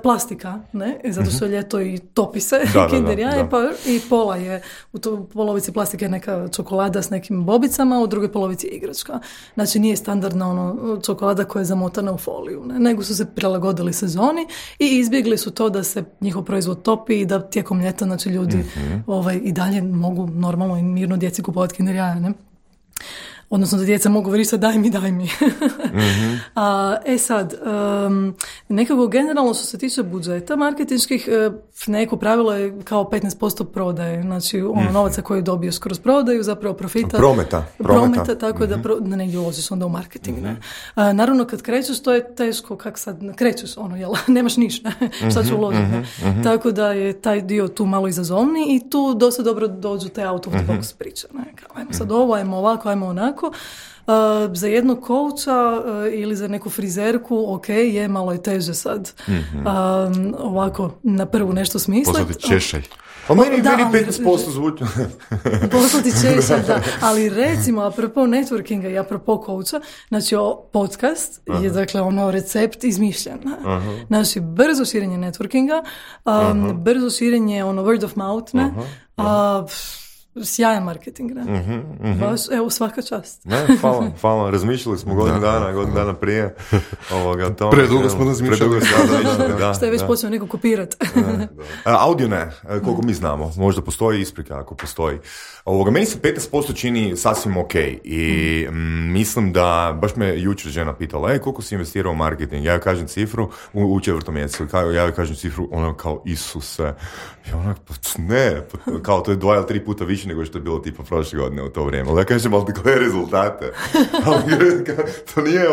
plastika, ne? Zato što je ljeto i topi se Kinder jaje, pa i pola je, u polovici plastike neka čokolada s nekim bobicama, u drugoj polovici igračka. Znači, nije standardna čokolada koja je zamotana u foliju, ne? Nego su se prilagodili sezoni i izbjegli su to da se njihov proizvod topi i da tijekom ljeta, znači, ljudi i dalje mogu normalno i mirno djeci kupovati Kinder jaje, ne? Odnosno da djeca mogu vrištati daj mi. Sad, nekako generalno što se tiče budžeta marketinških, neko pravilo je kao 15% prodaje, znači novaca koje dobiješ kroz prodaju, zapravo profita. Prometa, tako da negdje uložiš onda u marketing. Ne? Naravno kad krećeš to je teško, kak sad krećeš, nemaš ništa, šta ću uložiti. Tako da je taj dio tu malo izazovniji i tu dosta dobro dođu te out of the box priče. Kao, ajmo sad ovo, ajmo ovako, ajmo onako. Za jednog kouča ili za neku frizerku, ok, je malo je teže sad ovako na prvu nešto smisliti. Poslati češaj. Pa meni 15% zvuči. Poslati češaj, da. Ali recimo, apropo networkinga i apropo kouča, znači podcast je dakle recept izmišljen. Znači, brzo širenje networkinga, brzo širenje word of mouth, ne? Sjajan marketing, ne? Baš, evo, svaka čast. Ne, hvala. Razmišljali smo godinu dana prije ovoga. Predugo smo razmišljali. Što je već počeo neko kopirati. Audio ne, koliko mi znamo. Možda postoji isprika ako postoji. Meni se 15% čini sasvim ok i mislim da, baš me jučer žena pitala, koliko si investirao u marketing? Ja kažem cifru u 4. mjesecu. Ja kažem cifru, ona kao Isuse. I ona, ne, kao to je 2 ili 3 puta više nego što je bilo tipa prošle godine u to vrijeme. Ali ja kažem, ali koje rezultate? To nije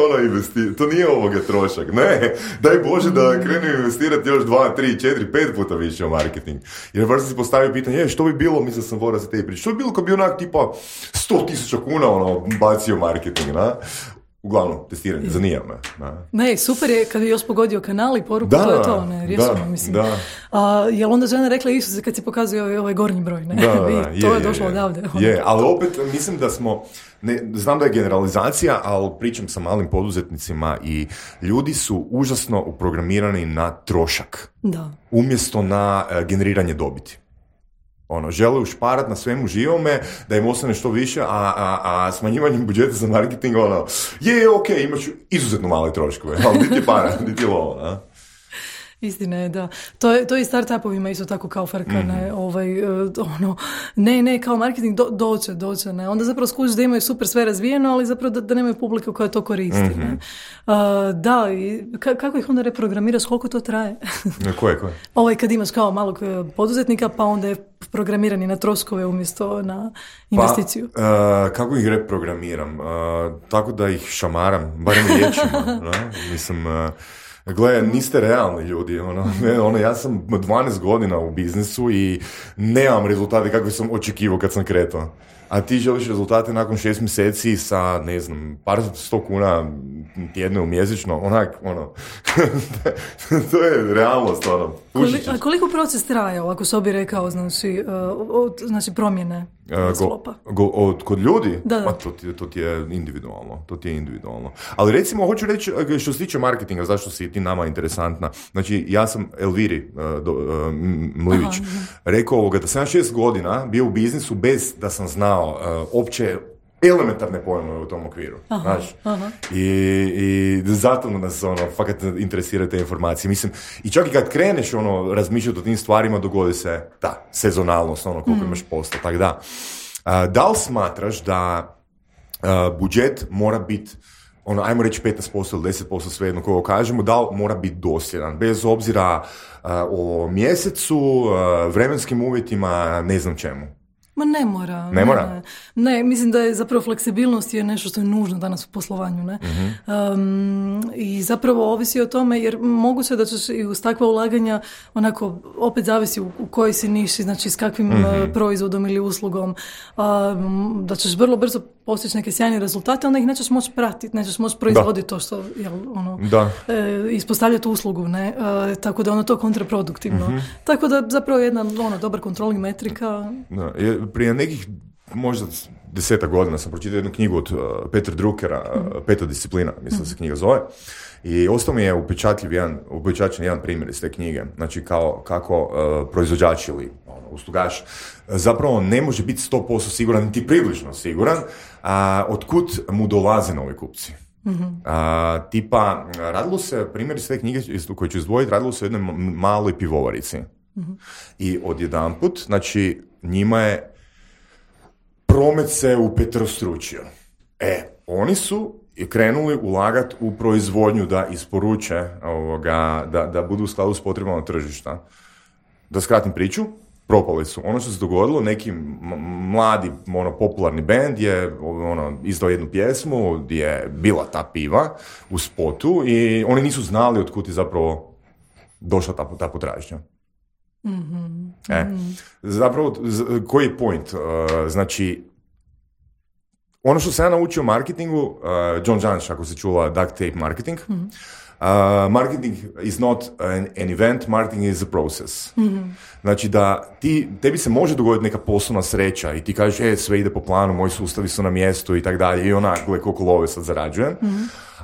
to nije trošak. Ne, daj Bože da krenu investirati još 2, 3, 4, 5 puta više u marketing. Jer baš sam si postavio pitanje, što bi bilo, mislim sam vora za te priče, što bi bilo kad bi onak tipa 100,000 kuna bacio marketing, na? Uglavnom, testiranje, zanima me. Ne, super je kad je još pogodio kanal i poruku, to je to, ne, rješeno, mislim. Jel onda žena rekla Isuse kad si pokazuje ovaj gornji broj, ne? To je došlo odavde. Je, ali opet mislim da smo, znam da je generalizacija, ali pričam sa malim poduzetnicima i ljudi su užasno uprogramirani na trošak. Da. Umjesto na generiranje dobiti. Žele ušparat na svemu živome, da im ostane što više, a smanjivanjem budžeta za marketing, ok, imat ću izuzetno male troškove, ali niti para, niti lovo, Istina je, da. To je i startupovima isto tako kao frka, ne, kao marketing doće, ne. Onda zapravo skužiš da imaju super sve razvijeno, ali zapravo da nemaju publiku koja to koristi, ne. Da, i kako ih onda reprogramiraš, koliko to traje? Koje? Kad imaš kao malog poduzetnika, pa onda je programirani na troškove umjesto na investiciju. Kako ih reprogramiram? Tako da ih šamaram, barem riječima, mislim... Gle, niste realni ljudi, ja sam 12 godina u biznisu i nemam rezultate kakve sam očekivao kad sam kretao. A ti želiš rezultate nakon 6 mjeseci sa, ne znam, par 100 kuna tjedno mjesečno, to je realnost, A koliko proces traje, ako se bi rekao, znači promjene sklopa? Kod ljudi? Da. Pa to ti je individualno. Ali recimo, hoću reći, što se tiče marketinga, zašto si ti nama interesantna, znači ja sam Elviri Mlivić rekao da sam 6 godina bio u biznisu bez da sam znao opće elementarne pojmove u tom okviru, znaš. I zato nas fakat interesiraju te informacije. Mislim, i čak i kad kreneš razmišljati o tim stvarima, dogodi se sezonalnost, koliko imaš posla, tako da. Da li smatraš da budžet mora biti ajmo reći 15% ili 10%, svejedno koga kažemo, da li mora biti dosljedan, bez obzira o mjesecu, vremenskim uvjetima, ne znam čemu? Ma ne mora. Ne mora? Ne, mislim da je zapravo fleksibilnost je nešto što je nužno danas u poslovanju, ne? I zapravo ovisi o tome, jer moguće da ćeš i uz takva ulaganja opet zavisi u kojoj si niši, znači s kakvim proizvodom ili uslugom, da ćeš vrlo brzo postići neke sjajne rezultate, onda ih nećeš moći pratiti, nećeš moći proizvoditi to što ispostavljati uslugu, ne? Tako da to kontraproduktivno. Tako da zapravo jedna dobar controlling metrika. Prije nekih možda 10 godina sam pročitao jednu knjigu od Petra Druckera, Peta disciplina, mislim da se knjiga zove. I ostao mi je upečatljen jedan primjer iz te knjige. Znači kako proizvođač ili uslugač zapravo ne može biti 100% siguran, niti približno siguran, otkud mu dolaze novi kupci. Tipa, radilo se, primjer iz te knjige koju ću izdvojiti, radilo se o jednoj maloj pivovarici. I odjedanput, znači, njima je promet se upetrostručio. Oni su krenuli ulagati u proizvodnju da isporuče, da budu u skladu s potrebama tržišta. Da skratim priču, propali su. Ono što se dogodilo, neki mladi popularni bend je izdao jednu pjesmu gdje je bila ta piva u spotu i oni nisu znali otkud je zapravo došla ta potražnja. Zapravo, koji je point? Znači, ono što sam ja naučio o marketingu, John Janisch, ako se čula duct tape marketing, marketing is not an event, marketing is a process. Znači da tebi se može dogoditi neka poslovna sreća i ti kažeš, sve ide po planu, moji sustavi su na mjestu i tak dalje, i onak, koliko love sad zarađujem.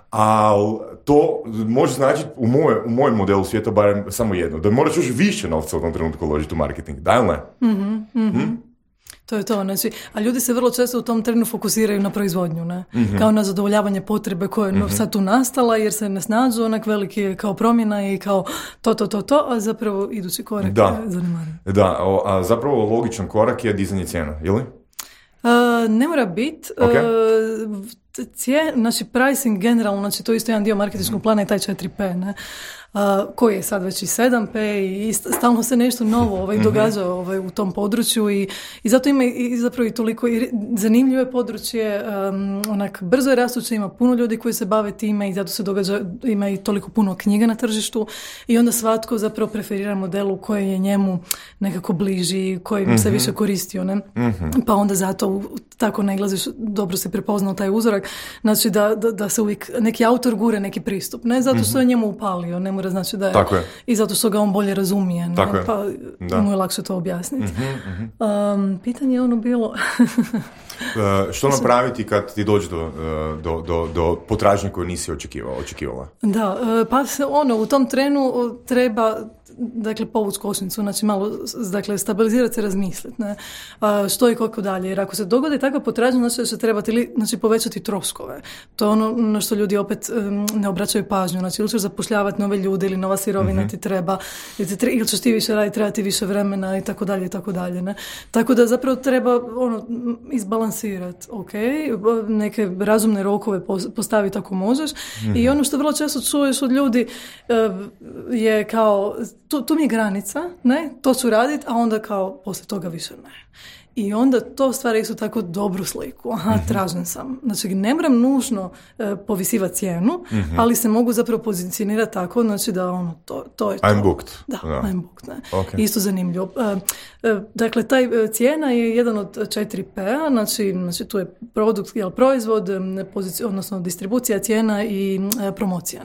Ali to može značiti u mojem modelu svijeta barem samo jedno, da moraš još više novca u tom trenutku uložiti u marketing. Da ili ne? To je to, znači, a ljudi se vrlo često u tom trenu fokusiraju na proizvodnju, ne? Kao na zadovoljavanje potrebe koje je sad tu nastala, jer se ne snađu onak veliki kao promjena i kao to, a zapravo idući korak je zanimljiv. Da, a zapravo logičan korak je dizanje cijena, ili? Ne mora biti. Znači pricing generalno, znači to je isto jedan dio marketinškog plana i taj 4P, ne? Koji je sad već i 7P i stalno se nešto novo događa u tom području i zato ima i zapravo i toliko zanimljivo je područje, onak brzo je rastuće, ima puno ljudi koji se bave time i zato se događa, ima i toliko puno knjiga na tržištu i onda svatko zapravo preferira modelu koji je njemu nekako bliži, koji se više koristio, ne? Pa onda zato tako naglaziš, dobro si prepoznao taj uzorak, znači da se uvijek neki autor gure neki pristup, ne zato što je njemu upalio, ne mora znači da je, i zato što ga on bolje razumije, ne? Pa mu je lakše to objasniti. Pitanje je ono bilo... Što napraviti kad ti dođe do potražnje koju nisi očekivala? Da, pa u tom trenu treba povući kočnicu, znači malo stabilizirati se, razmisliti, ne? Što i kako dalje, jer ako se dogodi takva potražnja, znači da će trebati povećati troškove. To je ono na što ljudi opet ne obraćaju pažnju, znači ili ćeš zapošljavati nove ljude ili nova sirovina ti treba, ili ćeš ti više raditi, trebati više vremena i tako dalje, ne? Tako da zapravo treba izbalansirati, neke razumne rokove postaviti ako možeš i ono što vrlo često čuješ od ljudi je kao tu mi je granica, ne, to ću raditi, a onda kao poslije toga više ne. I onda to stvara isto tako dobru sliku. Tražen sam. Znači, ne moram nužno povisivati cijenu, ali se mogu zapravo pozicionirati tako, znači da to je to. I'm booked. Da, I'm booked. Ne. Okay. Isto zanimljivo. Dakle, taj cijena je jedan od 4P-a, znači tu je produkt, proizvod, odnosno distribucija, cijena i promocija.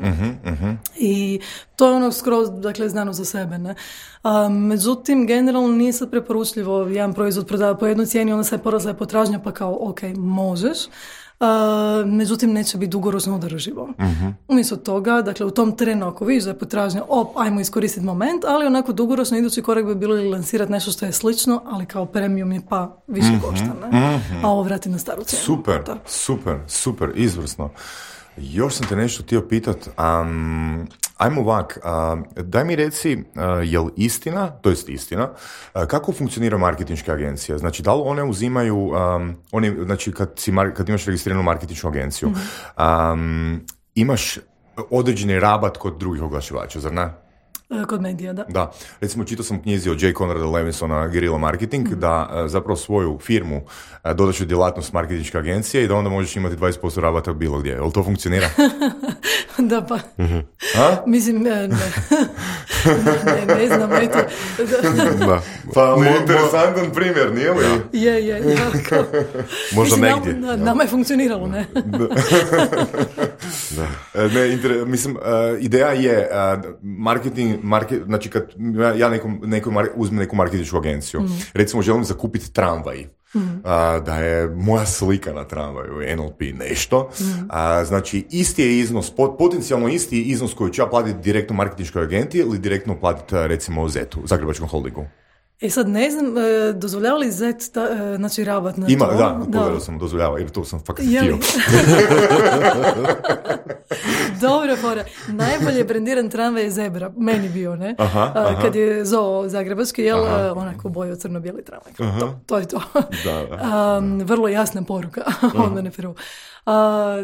I to je ono skroz, znano za sebe. Ne. Međutim, generalno nije sad preporučljivo jedan proizvod prodava po jednoj cijeni, onda se porasla je potražnja, pa kao, možeš. Međutim, neće biti dugoročno održivo. Umjesto toga, u tom trenu, ako vidiš da je potražnja, ajmo iskoristiti moment, ali onako dugoročno idući korak bi bilo lansirati nešto što je slično, ali kao premium je pa više košta, a ovo vrati na staru cijenu. Super, izvrsno. Još sam te nešto htio pitat, ajmo ovak, daj mi reci, je li istina, kako funkcionira marketinške agencije? Znači, da li one uzimaju, znači kad imaš registriranu marketinšku agenciju, imaš određeni rabat kod drugih oglašivača, zar ne? Kod medija, da. Da. Recimo, čitao sam knjizi od J. Conrada Levinsona, Guerrilla Marketing, da zapravo svoju firmu dodaš u djelatnost marketinške agencije i da onda možeš imati 20% rabata bilo gdje. Jel to funkcionira? Da, pa. Mislim, ne znam, eto. Da. Pa, interesantan primjer, nije li? Je. Možda negdje. Nama je funkcioniralo, ne? Da. Mislim, ideja je znači kad ja uzmem neku marketinšku agenciju, recimo želim zakupiti tramvaj da je moja slika na tramvaju NLP nešto. Znači, isti je iznos, potencijalno isti iznos koji ću ja platiti direktno marketinškoj agenti ili direktno platiti, recimo, ZET-u, Zagrebačkom holdingu. Sad ne znam, dozvoljava li ZET znači rabat na Ima, to? da, pogledao sam, dozvoljava, jer to sam fakat htio. Dobro, fora. Najbolje brendiran tramvaj je Zebra, meni bio, ne? Kad je ZOO Zagrebački, jel, onako bojo crno-bijeli tramvaj. To je to. Vrlo jasna poruka, onda ne prvo.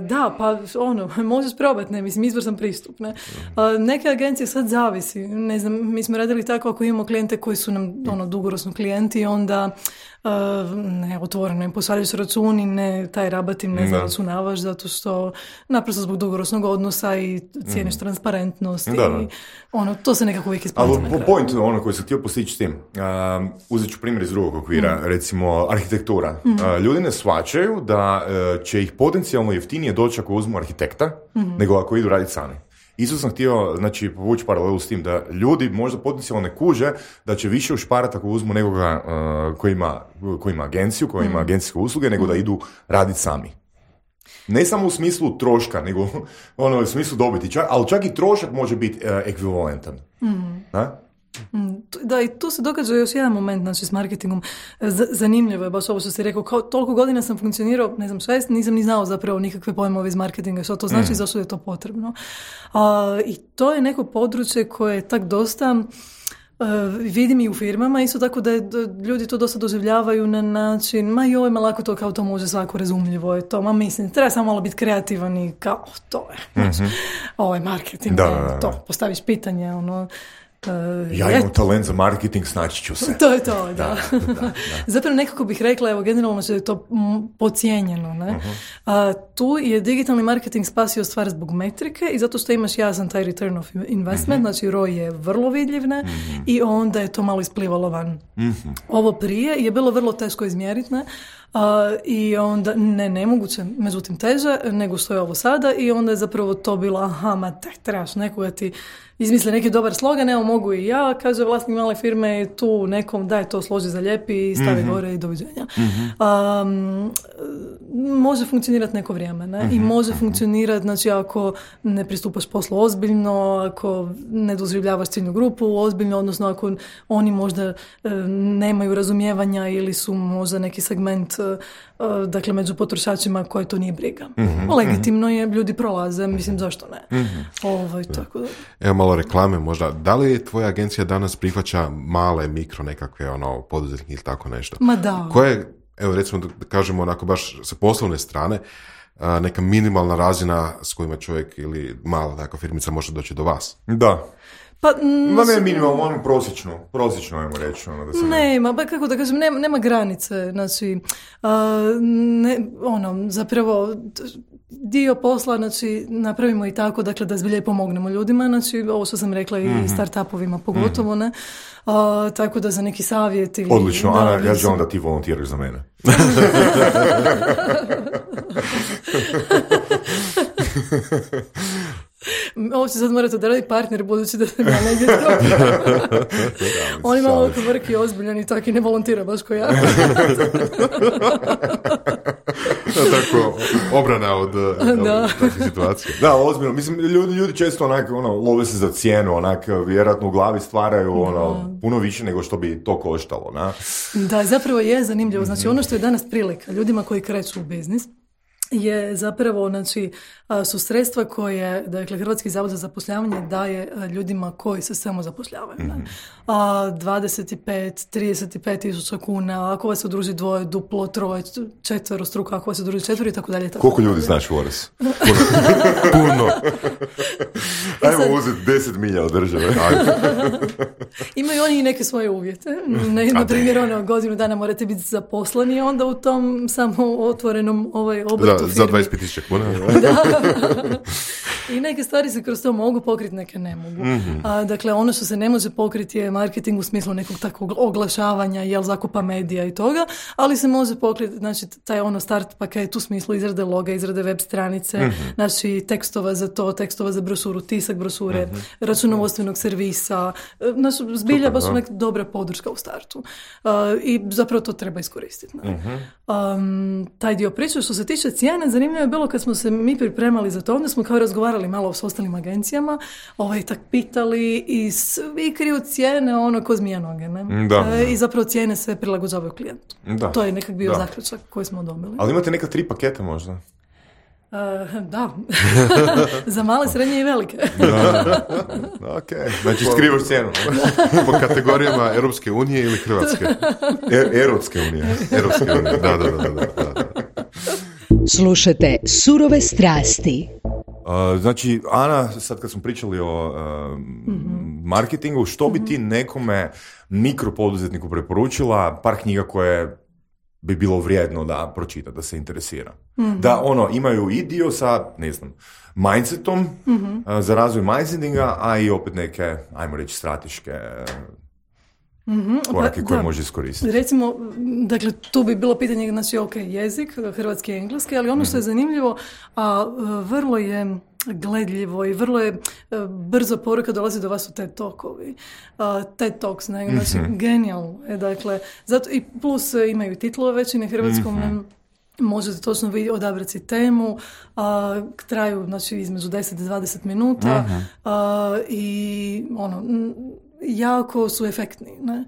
Da, pa možeš probati, ne, mislim, izvrstan pristup, ne. Neke agencije sad zavisi, ne znam, mi smo radili tako ako imamo klijente koji su nam, dugoročno klijenti, onda ne, otvoreno im posvaljaju se računi, ne, taj rabat im ne zaračunavaš, zato što naprosto zbog dugoročnog odnosa i cijeniš transparentnost i to se nekako uvijek isplaća. Ali point koji sam htio postići s tim, uzet ću primjer iz drugog okvira, recimo arhitektura. Ljudi ne shvaćaju da će ih potencijalno jeftinije doći ako uzmu arhitekta, nego ako idu raditi sami. Isto sam htio, znači, povući paralelu s tim da ljudi možda potencijalno ne kuže da će više ušparati ako uzmu nekoga koji ima agenciju, koji ima agencijske usluge, nego da idu raditi sami. Ne samo u smislu troška, nego u smislu dobiti, ali čak i trošak može biti ekvivalentan. Da, i tu se događa još jedan moment, znači, s marketingom. Zanimljivo je baš ovo što si rekao, kao toliko godina sam funkcionirao, ne znam, 6, nisam ni znao zapravo nikakve pojmove iz marketinga, što to znači, zašto je to potrebno. I to je neko područje koje je tak dosta, vidim i u firmama, isto tako da ljudi to dosta doživljavaju na način, ma lako to, kao to može svako, razumljivo je to, mislim, treba samo malo biti kreativan i kao, to je, znači, ovo je marketing, to, postaviš pitanje, ja imam talent za marketing, snaći ću se. To je to, da. Zapravo nekako bih rekla, evo, generalno da je to podcijenjeno, ne? Tu je digitalni marketing spasio stvar zbog metrike i zato što imaš jasan taj return of investment, znači ROI je vrlo vidljiv, ne? I onda je to malo isplivalo van. Ovo prije je bilo vrlo teško izmjeriti, ne? I onda, nemoguće, međutim teže nego što je ovo sada, i onda je zapravo to bilo, trebaš nekoga ti izmisli neki dobar slogan, evo mogu i ja, kaže vlasnik male firme, tu nekom daj to složi za lijepi i stavi gore i doviđenja. Može funkcionirati neko vrijeme, ne? I može funkcionirati, znači, ako ne pristupaš poslu ozbiljno, ako ne doživljavaš ciljnu grupu ozbiljno, odnosno ako oni možda nemaju razumijevanja ili su možda neki segment, dakle, među potrošačima koje to nije briga. Legitimno je, ljudi prolaze, mislim, zašto ne? Tako da. Evo malo reklame možda. Da li tvoja agencija danas prihvaća male, mikro nekakve poduzetnike ili tako nešto? Ma da. Koje, evo recimo da kažemo onako baš sa poslovne strane, neka minimalna razina s kojima čovjek ili mala takva firmica može doći do vas? Da. Pa ne minimalno, prosječno ajmo reći. Kako da kažem, nema granice, znači, zapravo dio posla, znači, napravimo i tako, dakle, da zbilje pomognemo ljudima, znači, ovo što sam rekla i startupovima pogotovo, ne, tako da za neki savjet ili... Odlično, Ana, ja želim da ti volontiraš za mene. Ovo će sad morati odraditi partner, budući da sam ja negdje on ima malo vrki ozbiljan i tako i ne volontira baš ko ja. Tako, obrana od takve situacije. Da, ozbiljno. Mislim, ljudi često love se za cijenu, vjerojatno u glavi stvaraju puno više nego što bi to koštalo. Da, zapravo je zanimljivo. Znači, ono što je danas prilika ljudima koji kreću u biznis je zapravo, znači, su sredstva koje, dakle, Hrvatski zavod za zapošljavanje daje ljudima koji se samo zapošljavaju. 25-35 tisuća kuna, ako vas se udruži dvoje, duplo, troje, četvero struko, ako vas se udruži četvero i tako dalje. Koliko ljudi znaš, Voras? Puno. Ajmo uzeti 10 milja od države. Imaju oni i neke svoje uvjete. Na primjer, godinu dana morate biti zaposleni, onda u tom samo otvorenom obrtu za 25.000 kuna. I neke stvari se kroz to mogu pokriti, neke ne mogu. Dakle, ono što se ne može pokriti je marketing u smislu nekog takvog oglašavanja, zakupa medija i toga, ali se može pokriti, znači, taj start paket u smislu izrade loga, izrade web stranice, znači tekstova za to, tekstova za brošuru, tisak brošura, brošure, računovodstvenog servisa, zbilja baš neka dobra podrška u startu. I zapravo to treba iskoristiti. Taj dio priče, što se tiče cijene, zanimljivo je bilo kad smo se mi pripremali za to, onda smo kao razgovarali malo s ostalim agencijama, tak pitali i svi kriju cijene ko zmija noge, ne? I zapravo cijene se prilagođavaju klijentu. To je nekak bio zaključak koji smo dobili. Ali imate neka 3 paketa možda? Da. Za male, srednje i velike. Ok, znači skrivaš cijenu. Po kategorijama Europske unije ili Hrvatske? Europske unije. Europske unije, da. Slušajte Surove strasti. Znači, Ana, sad kad smo pričali o marketingu, što bi ti nekome mikropoduzetniku preporučila, par knjiga koje bi bilo vrijedno da pročita, da se interesira? Da imaju i dio sa, ne znam, mindsetom za razvoj mindsetinga, a i opet neke, ajmo reći, strateške korake koje može iskoristiti. Recimo, dakle, tu bi bilo pitanje, znači, jezik, hrvatski i engleski, ali ono što je zanimljivo, vrlo je gledljivo i vrlo je brzo poruka dolazi do vas u TED Talkovi. TED Talks, znači, genijalno. Dakle, zato i plus imaju titlove već i na hrvatskom, možete točno odabrati si temu, traju, znači, između 10 i 20 minuta i jako su efektni. Ne?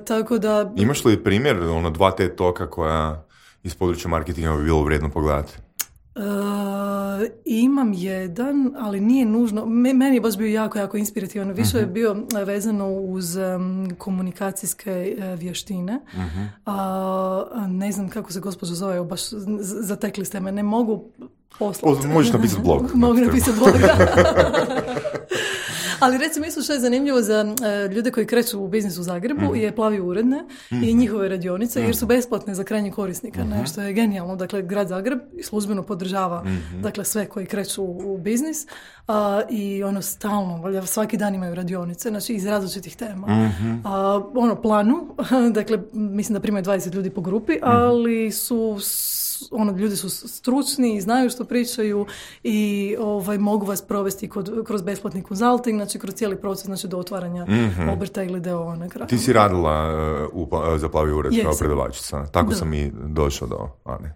Tako da... Imaš li primjer, 2 TED Talka koja iz područja marketinga bi bilo vrijedno pogledati? Imam jedan, ali nije nužno. Meni je baš bio jako inspirativan. Više je bio vezano uz komunikacijske vještine. Ne znam kako se gospođa zove, baš zatekli ste me. Ne mogu poslati. Možeš napisati blog. Mogu napisati blog, Ali recimo isto što je zanimljivo za ljude koji kreću u biznis u Zagrebu je Plavi uredne i njihove radionice jer su besplatne za krajnjeg korisnika, što je genijalno. Dakle, grad Zagreb službeno podržava dakle, sve koji kreću u biznis i stalno, svaki dan imaju radionice, znači iz različitih tema. Planu, dakle, mislim da primaju 20 ljudi po grupi, ali su ljudi su stručni i znaju što pričaju i mogu vas provesti kroz besplatni konzulting, znači kroz cijeli proces, znači do otvaranja obrta ili d.o.o. na kraju. Ti si radila za Plavi ured kao predavačica. Tako sam i došao do Ane.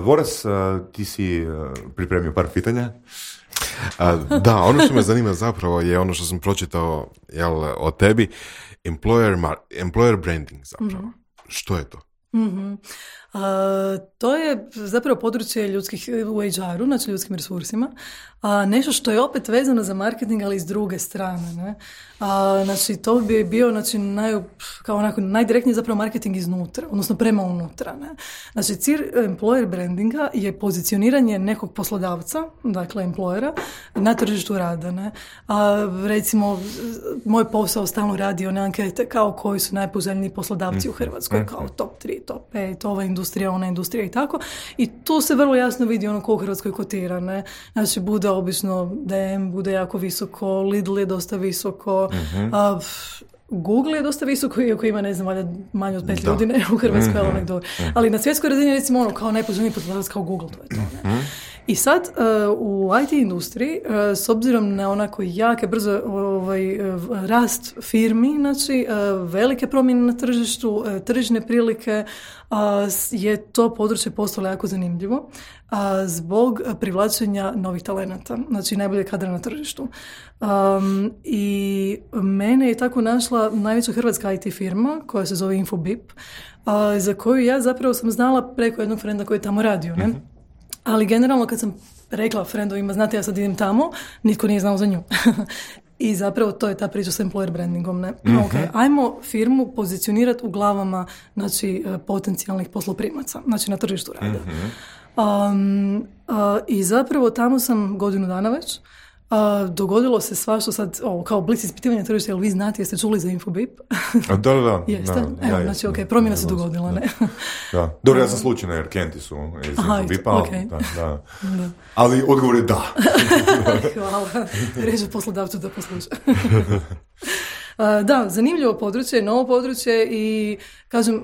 Voras, ti si pripremio par pitanja. Da, ono što me zanima zapravo je ono što sam pročitao o tebi, employer branding zapravo. Što je to? To je zapravo područje ljudskih u HR-u, znači ljudskim resursima. Nešto što je opet vezano za marketing, ali iz druge strane. Ne? Znači, to bi bio najdirektniji zapravo marketing iznutra, odnosno prema unutra. Ne? Znači, cilj employer brandinga je pozicioniranje nekog poslodavca, dakle employera, na tržištu rada. Ne? Recimo, moj posao stalno radi one ankete kao koji su najpoželjniji poslodavci u Hrvatskoj, kao top 3, top 5, ova industrija, ona industrija i tako. I tu se vrlo jasno vidi ko u Hrvatskoj kotira. Ne? Znači, bude obično DM, bude jako visoko, Lidl je dosta visoko, Google je dosta visoko, iako ima, ne znam, manje od 5 ljudi ne, u Hrvatskoj, ali na svjetskoj razini recimo kao najpoželjniji poslodavac kao Google, to je to. Ne? I sad u IT industriji, s obzirom na onako jake, brzo rast firmi, znači velike promjene na tržištu, tržišne prilike, je to područje postalo jako zanimljivo zbog privlačenja novih talenata, znači najbolje kadra na tržištu. I mene je tako našla najveća hrvatska IT firma koja se zove Infobip, za koju ja zapravo sam znala preko jednog frenda koji je tamo radio, ne? Ali generalno kad sam rekla frendovima, znate, ja sad idem tamo, nitko nije znao za nju. I zapravo to je ta priča s employer brandingom. Ne? Okay, ajmo firmu pozicionirati u glavama, znači, potencijalnih posloprimaca, znači na tržištu rada. I zapravo tamo sam godinu dana već. Dogodilo se svašta sad, kao blic ispitivanja tržišta, jel vi znate, jeste čuli za Infobip? Da. Jeste? Evo, znači, promjena se dogodila, ne? Da. Dobro, ja sam slučajno, jer Kenti su iz Infobipa, da. Ali odgovor je da. Hvala. Reže poslodavcu da posluša. Da, zanimljivo područje, novo područje i kažem,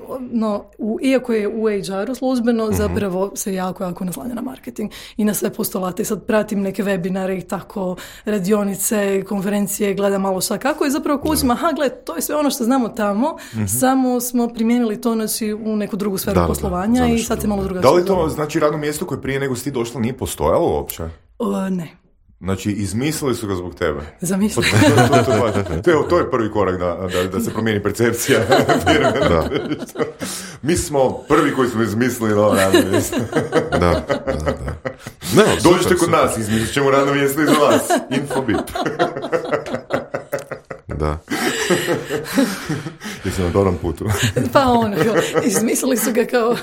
iako je u HR-u službeno, zapravo se jako naslanja na marketing i na sve postulate. Sad pratim neke webinare i tako, radionice, konferencije, gledam malo šta kako i zapravo kućim, to je sve ono što znamo tamo, samo smo primijenili to u neku drugu sferu poslovanja i sad se malo drugačije. Da li to znači radno mjesto koje prije nego si ti došla nije postojalo uopće? Ne. Znači, izmislili su ga zbog tebe. Zamislili. To je prvi korak da se promijeni percepcija. Mi smo prvi koji smo izmislili novo radno mjesto. Da. Dođite kod nas, izmislit ćemo radno mjesto i za vas. Infobip. Da. Jesi na dobrom putu. Pa izmislili su ga kao...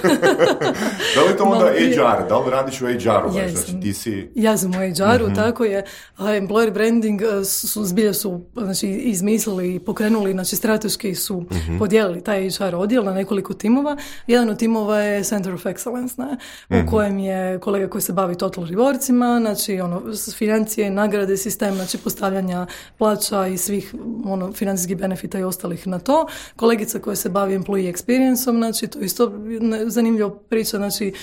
Da li to onda HR? Da li radiš u HR-u? Znači, ti si... Ja sam u HR-u, tako je. Employer branding zbilja su izmislili i pokrenuli, znači strateški su podijelili taj HR odjel na nekoliko timova. Jedan od timova je Center of Excellence, u kojem je kolega koji se bavi total rewardsima, znači financije, nagrade, sistem, znači postavljanja plaća i svih financijskih benefita i ostalih na to. Kolegica koja se bavi employee experience-om, znači to isto zanimljiva priča, znači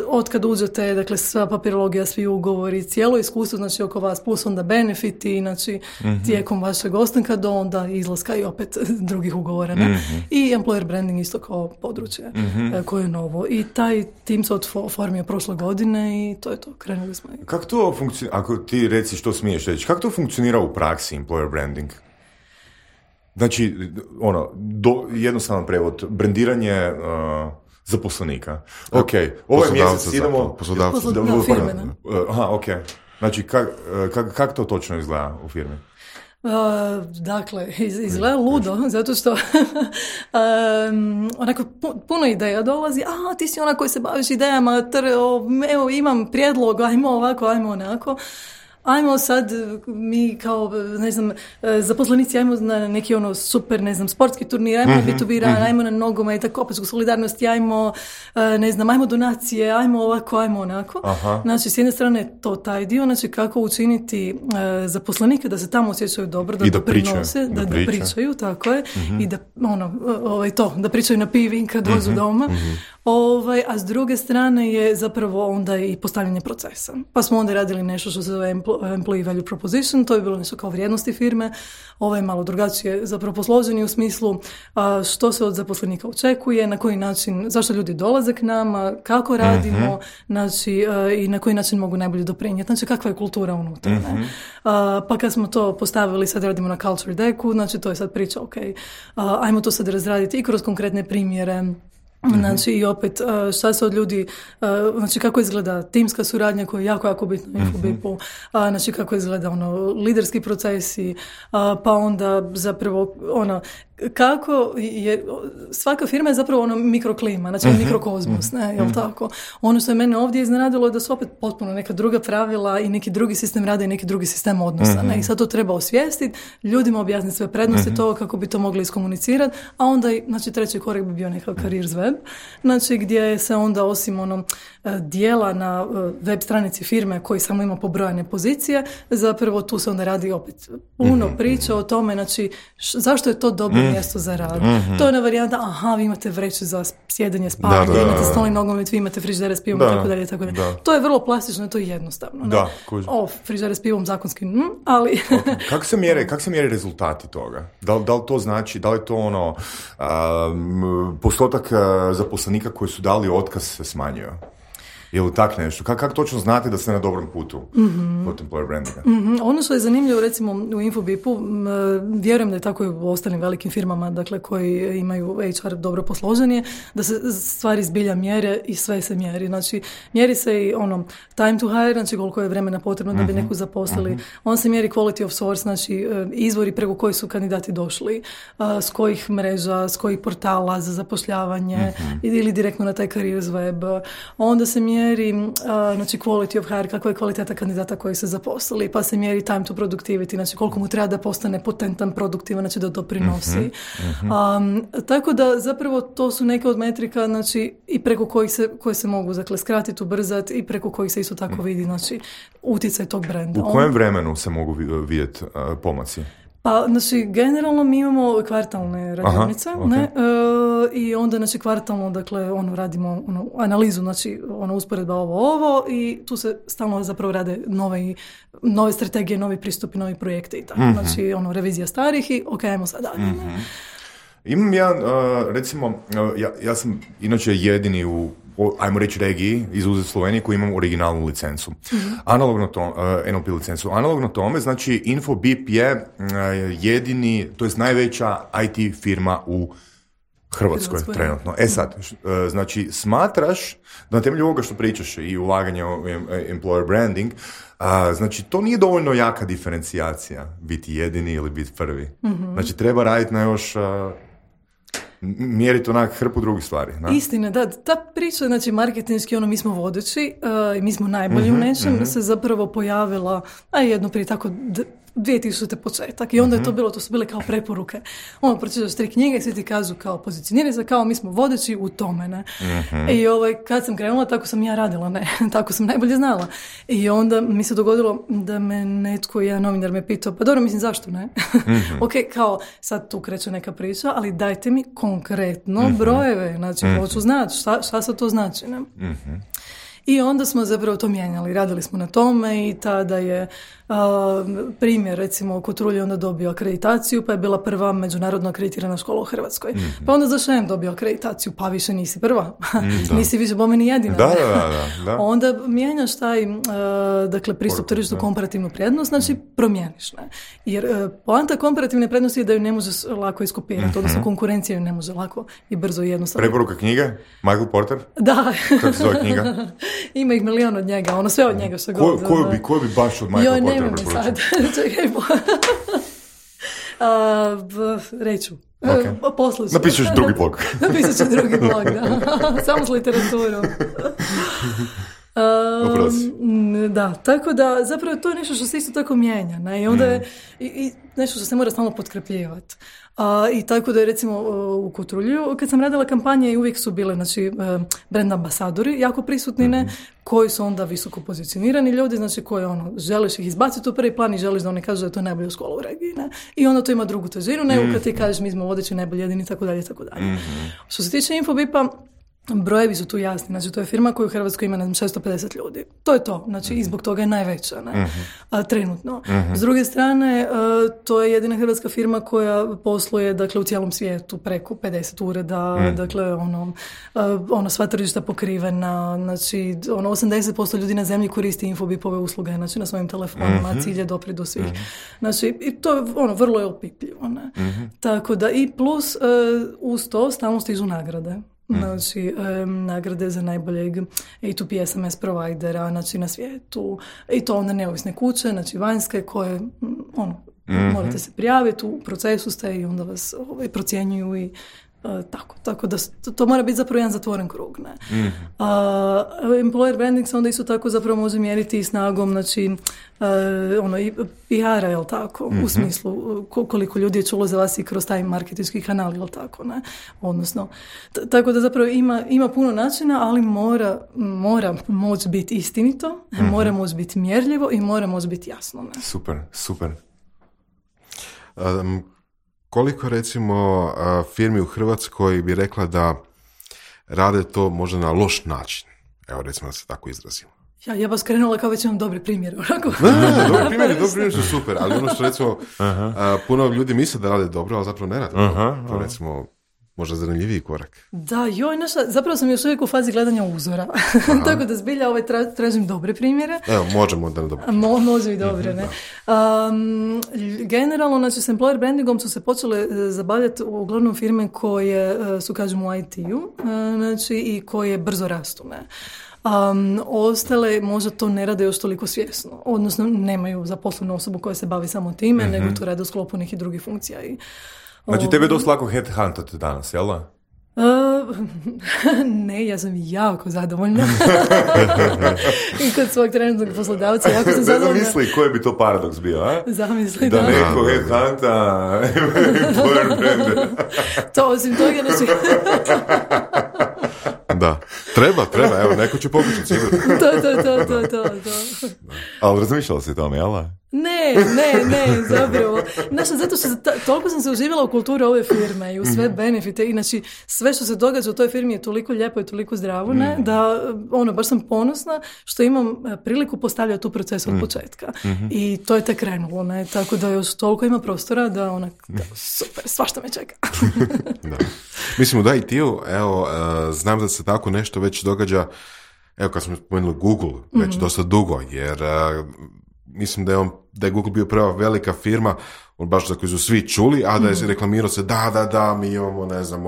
od kad uđete, dakle sva papirologija, svi ugovori, cijelo iskustvo, znači oko vas, plus onda benefiti, znači tijekom vašeg ostanka do onda izlaska i opet drugih ugovora. I employer branding isto kao područje koje je novo. I taj tim se oformio prošle godine i to je to, krenuli smo. Kako to funkcionira, ako ti reci što smiješ reći, kako to funkcionira u praksi, employer branding? Znači, jednostavan prevod, brendiranje zaposlenika. Ok, ovaj mjesec idemo... Firmena. Ok. Znači, kako to točno izgleda u firmi? Dakle, izgleda ludo, zato što onako puno ideja dolazi, ti si ona koji se baviš idejama, evo imam prijedlog, ajmo ovako, ajmo onako. Ajmo sad, mi kao, ne znam, zaposlenici, ajmo na neki super, ne znam, sportski turnir, ajmo na B2B run, ajmo na nogomet, tako opet solidarnosti, ajmo, ne znam, ajmo donacije, ajmo ovako, ajmo onako. Aha. Znači, s jedne strane to taj dio, znači kako učiniti zaposlenike da se tamo osjećaju dobro, da doprinose, da pričaju, tako je, i da, da pričaju na pivi kad dođu doma. A s druge strane je zapravo onda i postavljanje procesa. Pa smo onda radili nešto što se zove Employee Value Proposition, to je bilo nešto kao vrijednosti firme, ovo je malo drugačije zapravo posloženi u smislu što se od zaposlenika očekuje, na koji način, zašto ljudi dolaze k nama, kako radimo, znači, i na koji način mogu najbolje doprinijeti, znači kakva je kultura unutra. Pa kad smo to postavili, sad radimo na Culture Decku, znači to je sad priča, ajmo to sad razraditi i kroz konkretne primjere. Znači i opet šta se od ljudi, znači kako izgleda timska suradnja koja je jako bitna u Infobipu, znači kako izgleda liderski procesi, pa onda zapravo kako je, svaka firma je zapravo mikroklima, znači mikrokozmos, jel tako? Ono što je mene ovdje iznenadilo je da su opet potpuno neka druga pravila i neki drugi sistem rada i neki drugi sistem odnosa, i sad to treba osvijestiti, ljudima objasniti sve prednosti toga kako bi to mogli iskomunicirati, a onda znači treći korak bi bio nekakav careers web, znači gdje se onda osim dijela na web stranici firme koji samo ima pobrojane pozicije, zapravo tu se onda radi opet puno priča o tome, znači zašto je to dobro mjesto za rad. To je ona varijanta, vi imate vreću za sjedanje, spavanje, imate stolni nogomet, vi imate frižidere s pivom, tako dalje. To je vrlo plastično, to je jednostavno. Frižidere s pivom zakonski, ali... Kako se mjere rezultati toga? Da li to znači, da li to postotak zaposlenika koji su dali otkaz se smanjio? Je li tak nešto? Kako točno znate da ste na dobrom putu kod employer brandinga? Ono što je zanimljivo, recimo u Infobipu, vjerujem da je tako i u ostalim velikim firmama, dakle, koji imaju HR dobro posložen je, da se stvari zbilja mjere i sve se mjeri. Znači, mjeri se i time to hire, znači koliko je vremena potrebno da bi neku zaposlili. On se mjeri quality of source, znači izvori preko koji su kandidati došli, s kojih mreža, s kojih portala za zapošljavanje ili direktno na taj careers web. Onda se mjeri znači quality of hire, kakva je kvaliteta kandidata koji se zaposlili, pa se mjeri time to productivity, znači koliko mu treba da postane potentan, produktivan, znači da doprinosi. Tako da zapravo to su neke od metrika, znači i preko koje se mogu skratiti, ubrzati i preko kojih se isto tako vidi, znači utjecaj tog brenda. U kojem vremenu se mogu vidjeti pomaci? Pa, znači, generalno mi imamo kvartalne radionice, ne? I onda, znači, kvartalno, dakle, radimo analizu, znači, usporedba ovo i tu se stalno zapravo rade nove strategije, novi pristupi, novi projekti i tako. Znači, revizija starih i ajmo sad dalje. Imam ja, recimo, ja sam inače jedini u, ajmo reći, regiji, izuzet Slovenije, koji imam originalnu licencu. Analogno NLP licencu. Analogno tome, znači, Infobip je jedini, to jest najveća IT firma u Hrvatskoj trenutno. Sad, znači, smatraš da na temelju ovoga što pričaš i ulaganje u employer branding, znači, to nije dovoljno jaka diferencijacija, biti jedini ili biti prvi. Znači, treba raditi na još... mjeriti onak hrpu drugih stvari. Da? Istina, da. Ta priča, znači, marketinški, mi smo vodeći i mi smo najbolji u nečem, se zapravo pojavila, jedno prije tako 2000. početak. I onda je to su bile kao preporuke. Pročitaš 3 knjige i svi ti kažu kao pozicioniraj se, kao mi smo vodeći u tome, ne. I kad sam krenula, tako sam ja radila, ne. Tako sam najbolje znala. I onda mi se dogodilo da me netko, jedan novinar me pitao, pa dobro, mislim, zašto ne? Ok, kao, sad tu kreće neka priča, ali dajte mi konkretno brojeve, znači, hoću znati šta se to znači, ne. I onda smo zapravo to mijenjali, radili smo na tome i tada je primjer, recimo, Kotrulje onda dobio akreditaciju, pa je bila prva međunarodno akreditirana škola u Hrvatskoj. Pa onda za Šem dobio akreditaciju, pa više nisi prva, nisi više bome ni jedina. Da. Onda mijenjaš taj, dakle, pristup tržištu, komparativnu prednost, znači promijeniš, ne? Jer poanta komparativne prednosti je da ju ne možeš lako iskopirati, odnosno konkurencija ju ne može lako i brzo i jednostavno. Preporuka knjige? Michael Porter? Da. Kako se zove knjiga? Ima ih milion od njega, sve od njega što god. Koju bi baš od Michael Portera preporučio? Čekaj, reću. Okay. Napisat ću drugi blog. Da. Samo s literaturom. Da, tako da zapravo to je nešto što se isto tako mijenja, ne? I onda je i nešto što se mora stalno potkrepljivati. I tako da je, recimo, u Kotrulju, kad sam radila kampanje, i uvijek su bile, znači, brand ambasadori jako prisutni, ne, koji su onda visoko pozicionirani ljudi, znači, koji, želiš ih izbaciti u prvi plan i želiš da oni kažu da je to najbolja škola u regiji, ne? I onda to ima drugu težinu, nego kad ti kažeš mi smo vodeći, najbolji, jedini, tako dalje, tako dalje. Što se tiče Infobipa, brojevi su tu jasni, znači, to je firma koja u Hrvatskoj ima 650 ljudi. To je to, znači, i zbog toga je najveća, ne? Trenutno. S druge strane, to je jedina hrvatska firma koja posluje, dakle, u cijelom svijetu preko 50 ureda, dakle, sva tržišta pokrivena, znači, 80% ljudi na zemlji koristi Infobipove usluge, znači, na svojim telefonima, cilj je doprijeti do svih. Znači, i to je, vrlo je opipljivo, ne? Tako da, i plus, uz to stalno stižu nagrade. Znači, nagrade za najboljeg A2P SMS provajdera, znači, na svijetu, i to onda neovisne kuće, znači vanjske, koje morate se prijaviti, u procesu ste i onda vas procjenjuju i tako da to mora biti zapravo jedan zatvoren krug, ne. Employer branding se onda isto tako zapravo može mjeriti i snagom, znači, i PR-a, jel tako, u smislu koliko ljudi je čulo za vas i kroz taj marketinški kanal, jel tako, ne, odnosno, tako da zapravo ima puno načina, ali mora moći biti istinito, mora moći biti mjerljivo i mora moći biti jasno, ne. Super. Koliko, recimo, firmi u Hrvatskoj bi rekla da rade to možda na loš način? Evo, recimo, da se tako izrazimo. Ja vas krenula kao već imam dobri primjer. Dobri primjeri su super, ali ono što, recimo, puno ljudi misle da rade dobro, ali zapravo ne rade. To, recimo, možda zanimljiviji korak. Da, zapravo sam još uvijek u fazi gledanja uzora. Tako da zbilja tražim dobre primjere. Evo, možemo da ne dobro. Može i dobre, ne. Generalno, znači, s employer brandingom su se počele zabavljati uglavnom firme koje su, kažem, u IT-u, znači, i koje brzo rastu, ne. Ostale možda to ne rade još toliko svjesno, odnosno nemaju zaposlenu osobu koja se bavi samo time, nego to rade u sklopu nekih drugih funkcija. Znači, tebe je dosta lako headhuntati danas, jel da? Ne, ja sam jako zadovoljna. I kod svog trenutnog poslodavca jako sam zadovoljna. Zamisli koji bi to paradoks bio, a? Zamisli, da. Da neko headhunta employer brand. To osim toga neći... Da, treba, evo, neko će pokušati sigurno. To. Ali razmišljala si tome, jel da? Ne, zapravo. Znači, zato što toliko sam se uživala u kulturi ove firme i u sve benefite i znači sve što se događa u toj firmi je toliko lijepo i toliko zdravo, ne, da baš sam ponosna što imam priliku postavljati tu proces od početka. I to je tek krenulo, ne, tako da još toliko ima prostora da super, svašta me čeka. Da. Mislim, da i ti, evo, znam da se tako nešto već događa, evo kad smo spomenuli Google, već dosta dugo, jer mislim da je Google bio prva velika firma, baš za koju su svi čuli, a da je reklamirao se, da, mi imamo, ne znam,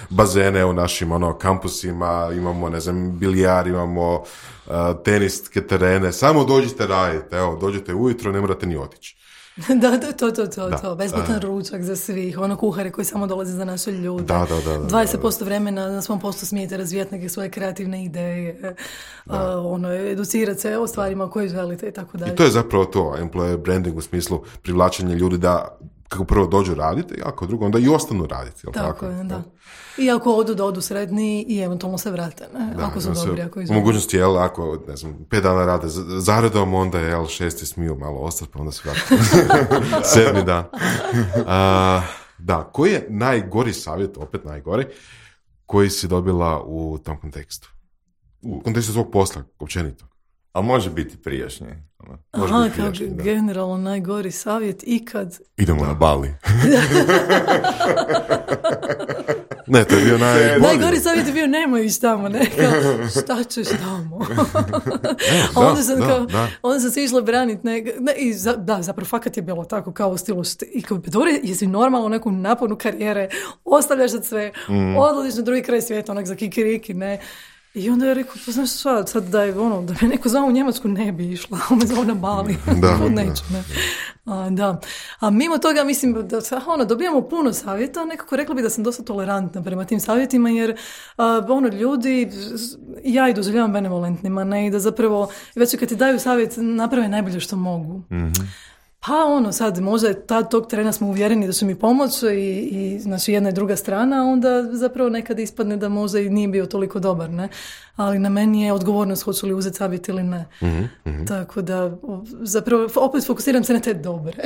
bazene u našim, kampusima, imamo, ne znam, bilijar, imamo teniske terene, samo dođite raditi, evo, dođete ujutro, ne morate ni otići. To, besplatan ručak za svih, kuhari koji samo dolaze za naše ljude. Da. 20% vremena na svom poslu smijete razvijati neke svoje kreativne ideje, educirati se o stvarima koje želite i tako dalje. I to je zapravo to, employer branding u smislu privlačenja ljudi da kako prvo dođu raditi, a ako drugo onda i ostanu raditi. Tako je, da. I ako odu srednji i eventualno se vrate, ne? Ako su dobri, ako izgleda. U mogućnosti, ako, ne znam, 5 dana rade zaredom, onda je 6. smiju malo ostati, pa onda se vrate. 7. dan. Da, koji je najgori savjet, opet najgori, koji si dobila u tom kontekstu? U kontekstu svog posla, općenito. A može biti prijašnji. Generalno najgori savjet ikad. Idemo na Bali. Ne, to je bio najgori savjet je bio nemoj ići tamo, ne? Šta ćeš tamo? Onda sam se išla braniti. Zapravo fakat je bilo tako kao u stilu i kao dobro, jesi normalno u neku naponu karijere, ostavljaš sad sve, odlaziš na drugi kraj svijeta, onak za kikiriki, ne? I onda je rekao, pa znaš šta, sad da me neko zvao u Njemačku ne bi išla, me zvao na Bali, neću, ne. Da. A mimo toga mislim da dobijamo puno savjeta, nekako rekla bi da sam dosta tolerantna prema tim savjetima, jer ljudi, ja ih doživljavam benevolentnima, ne, i da zapravo već kad ti daju savjet naprave najbolje što mogu. Pa sad možda tog trena smo uvjereni da će mi pomoći i znači jedna i druga strana, onda zapravo nekad ispadne da možda i nije bio toliko dobar, ne? Ali na meni je odgovornost hoću li uzeti savjet ili ne. Tako da zapravo opet fokusiram se na te dobre.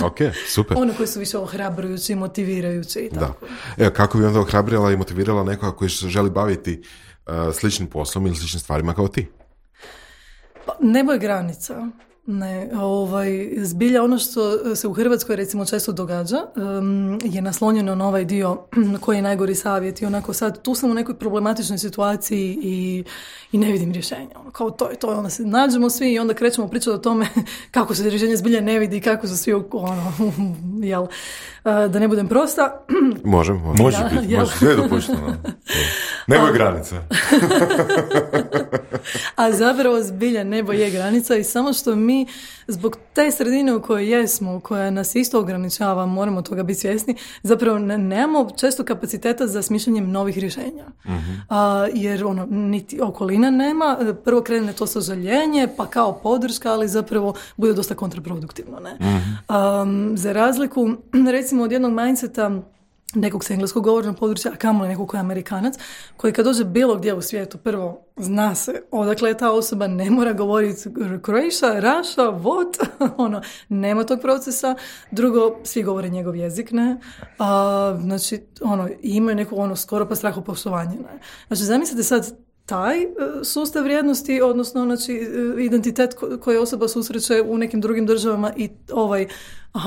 Ok, super. One koji su više ohrabrujući, motivirajući i tako. Evo, kako bi onda ohrabrila i motivirala nekoga koji se želi baviti sličnim poslom ili sličnim stvarima kao ti? Pa, nebo je granica. Ne, zbilja ono što se u Hrvatskoj recimo često događa je naslonjeno na ovaj dio koji je najgori savjet i onako sad tu sam u nekoj problematičnoj situaciji i ne vidim rješenja. Kao to je to, onda se nađemo svi i onda krećemo pričati o tome kako se rješenje zbilja ne vidi i kako su svi jel, da ne budem prosta. Može sve dopušteno. Nebo je granica. A zapravo zbilja nebo je granica i samo što mi zbog te sredine u kojoj jesmo, koja nas isto ograničava, moramo toga biti svjesni, zapravo nemamo često kapaciteta za smišljanjem novih rješenja. Jer niti okolina nema, prvo krene to sažaljenje, pa kao podrška, ali zapravo bude dosta kontraproduktivno. Ne? Za razliku, recimo, od jednog mindseta nekog sa engleskog govornog područja, a kamoli nekog koji je Amerikanac, koji kad dođe bilo gdje u svijetu, prvo zna se odakle je ta osoba, ne mora govoriti Croatia, Russia, what, nema tog procesa. Drugo, svi govore njegov jezik, ne. Znači, imaju neku skoro pa strahopoštovanje, ne. Znači, zamislite sad taj sustav vrijednosti, odnosno znači, identitet koji osoba susreće u nekim drugim državama i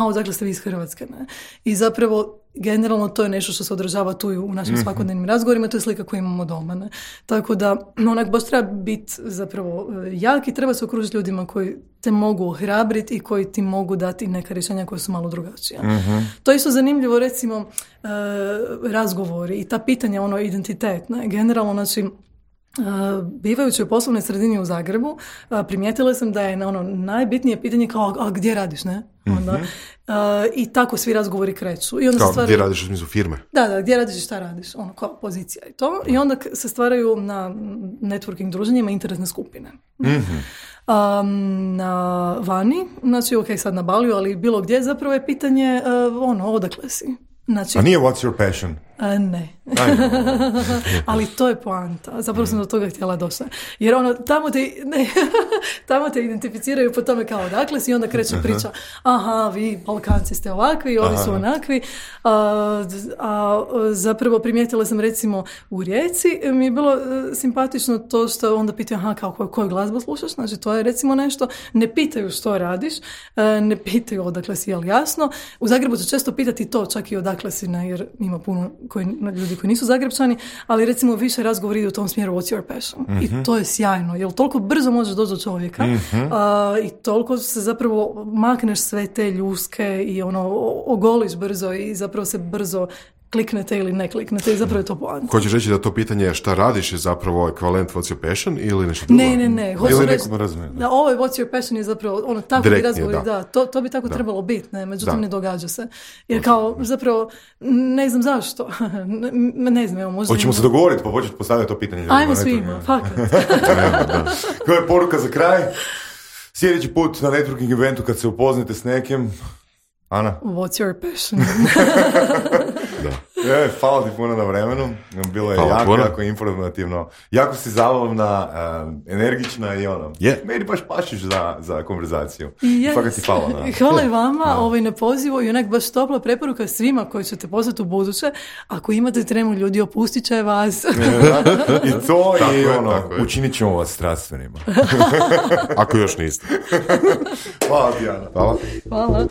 odakle ste vi iz Hrvatske, ne. I zapravo generalno to je nešto što se odražava tu i u našim svakodnevnim razgovorima, to je slika koju imamo doma. Ne? Tako da onak baš treba biti zapravo jak i treba se okružiti ljudima koji te mogu ohrabriti i koji ti mogu dati neka rješenja koja su malo drugačija. To je isto zanimljivo, recimo, razgovori i ta pitanja, identitet. Ne? Generalno, znači, bivajući u poslovnoj sredini u Zagrebu, primijetila sam da je najbitnije pitanje kao, a gdje radiš, ne? Onda, i tako svi razgovori kreću. I onda kao, gdje radiš u smislu firme? Da, gdje radiš i šta radiš, kao pozicija i to. I onda se stvaraju na networking druženjima interesne skupine. Na vani, znači, ok, sad na Baliju, ali bilo gdje zapravo je pitanje, odakle si? Znači, a nije what's your passion? Ne. Ali to je poanta. Zapravo sam do toga htjela doći. Jer tamo te identificiraju po tome kao odakle si i onda kreće priča. Aha, vi Balkanci ste ovakvi, ovi su onakvi. Zapravo primijetila sam recimo u Rijeci, mi je bilo simpatično to što onda pitaju koju glazbu slušaš, znači to je recimo nešto, ne pitaju što radiš, ne pitaju odakle si, jel jasno. U Zagrebu će često pitati to, čak i odakle si, jer ima puno ljudi koji nisu Zagrebčani, ali recimo više razgovor ide u tom smjeru what's your passion. I to je sjajno, jer toliko brzo možeš doći do čovjeka i toliko se zapravo makneš sve te ljuske i ogoliš brzo i zapravo se brzo kliknete ili ne kliknete i zapravo je to poanta. Hoćeš reći da to pitanje šta radiš je zapravo ekvivalent what's your passion ili nešto drugo? Ne. Ili nekom razumije. Da, ovo je what's your passion je zapravo tako bi razgovori, to bi tako trebalo biti, međutim ne događa se. Jer kao zapravo ne znam zašto. Ne znam, evo možda... Hoćemo se dogovoriti pa početi postaviti to pitanje. Ajmo svima, fakat. Koja je poruka za kraj? Sljedeći put na networking eventu kad se upoznate s nekim, Ana? What's your passion? Hvala ti puno na vremenu. Bilo je jako informativno. Jako si zabavna, energična i meni baš pašiš za konverzaciju. Fakat ti hvala. Hvala i vama na pozivu i onak baš topla preporuka svima koji ćete poslati u buduće. Ako imate tremu ljudi, opustit će vas. I to učinit ćemo vas strastvenima. Ako još niste. Hvala ti, Ana. Hvala.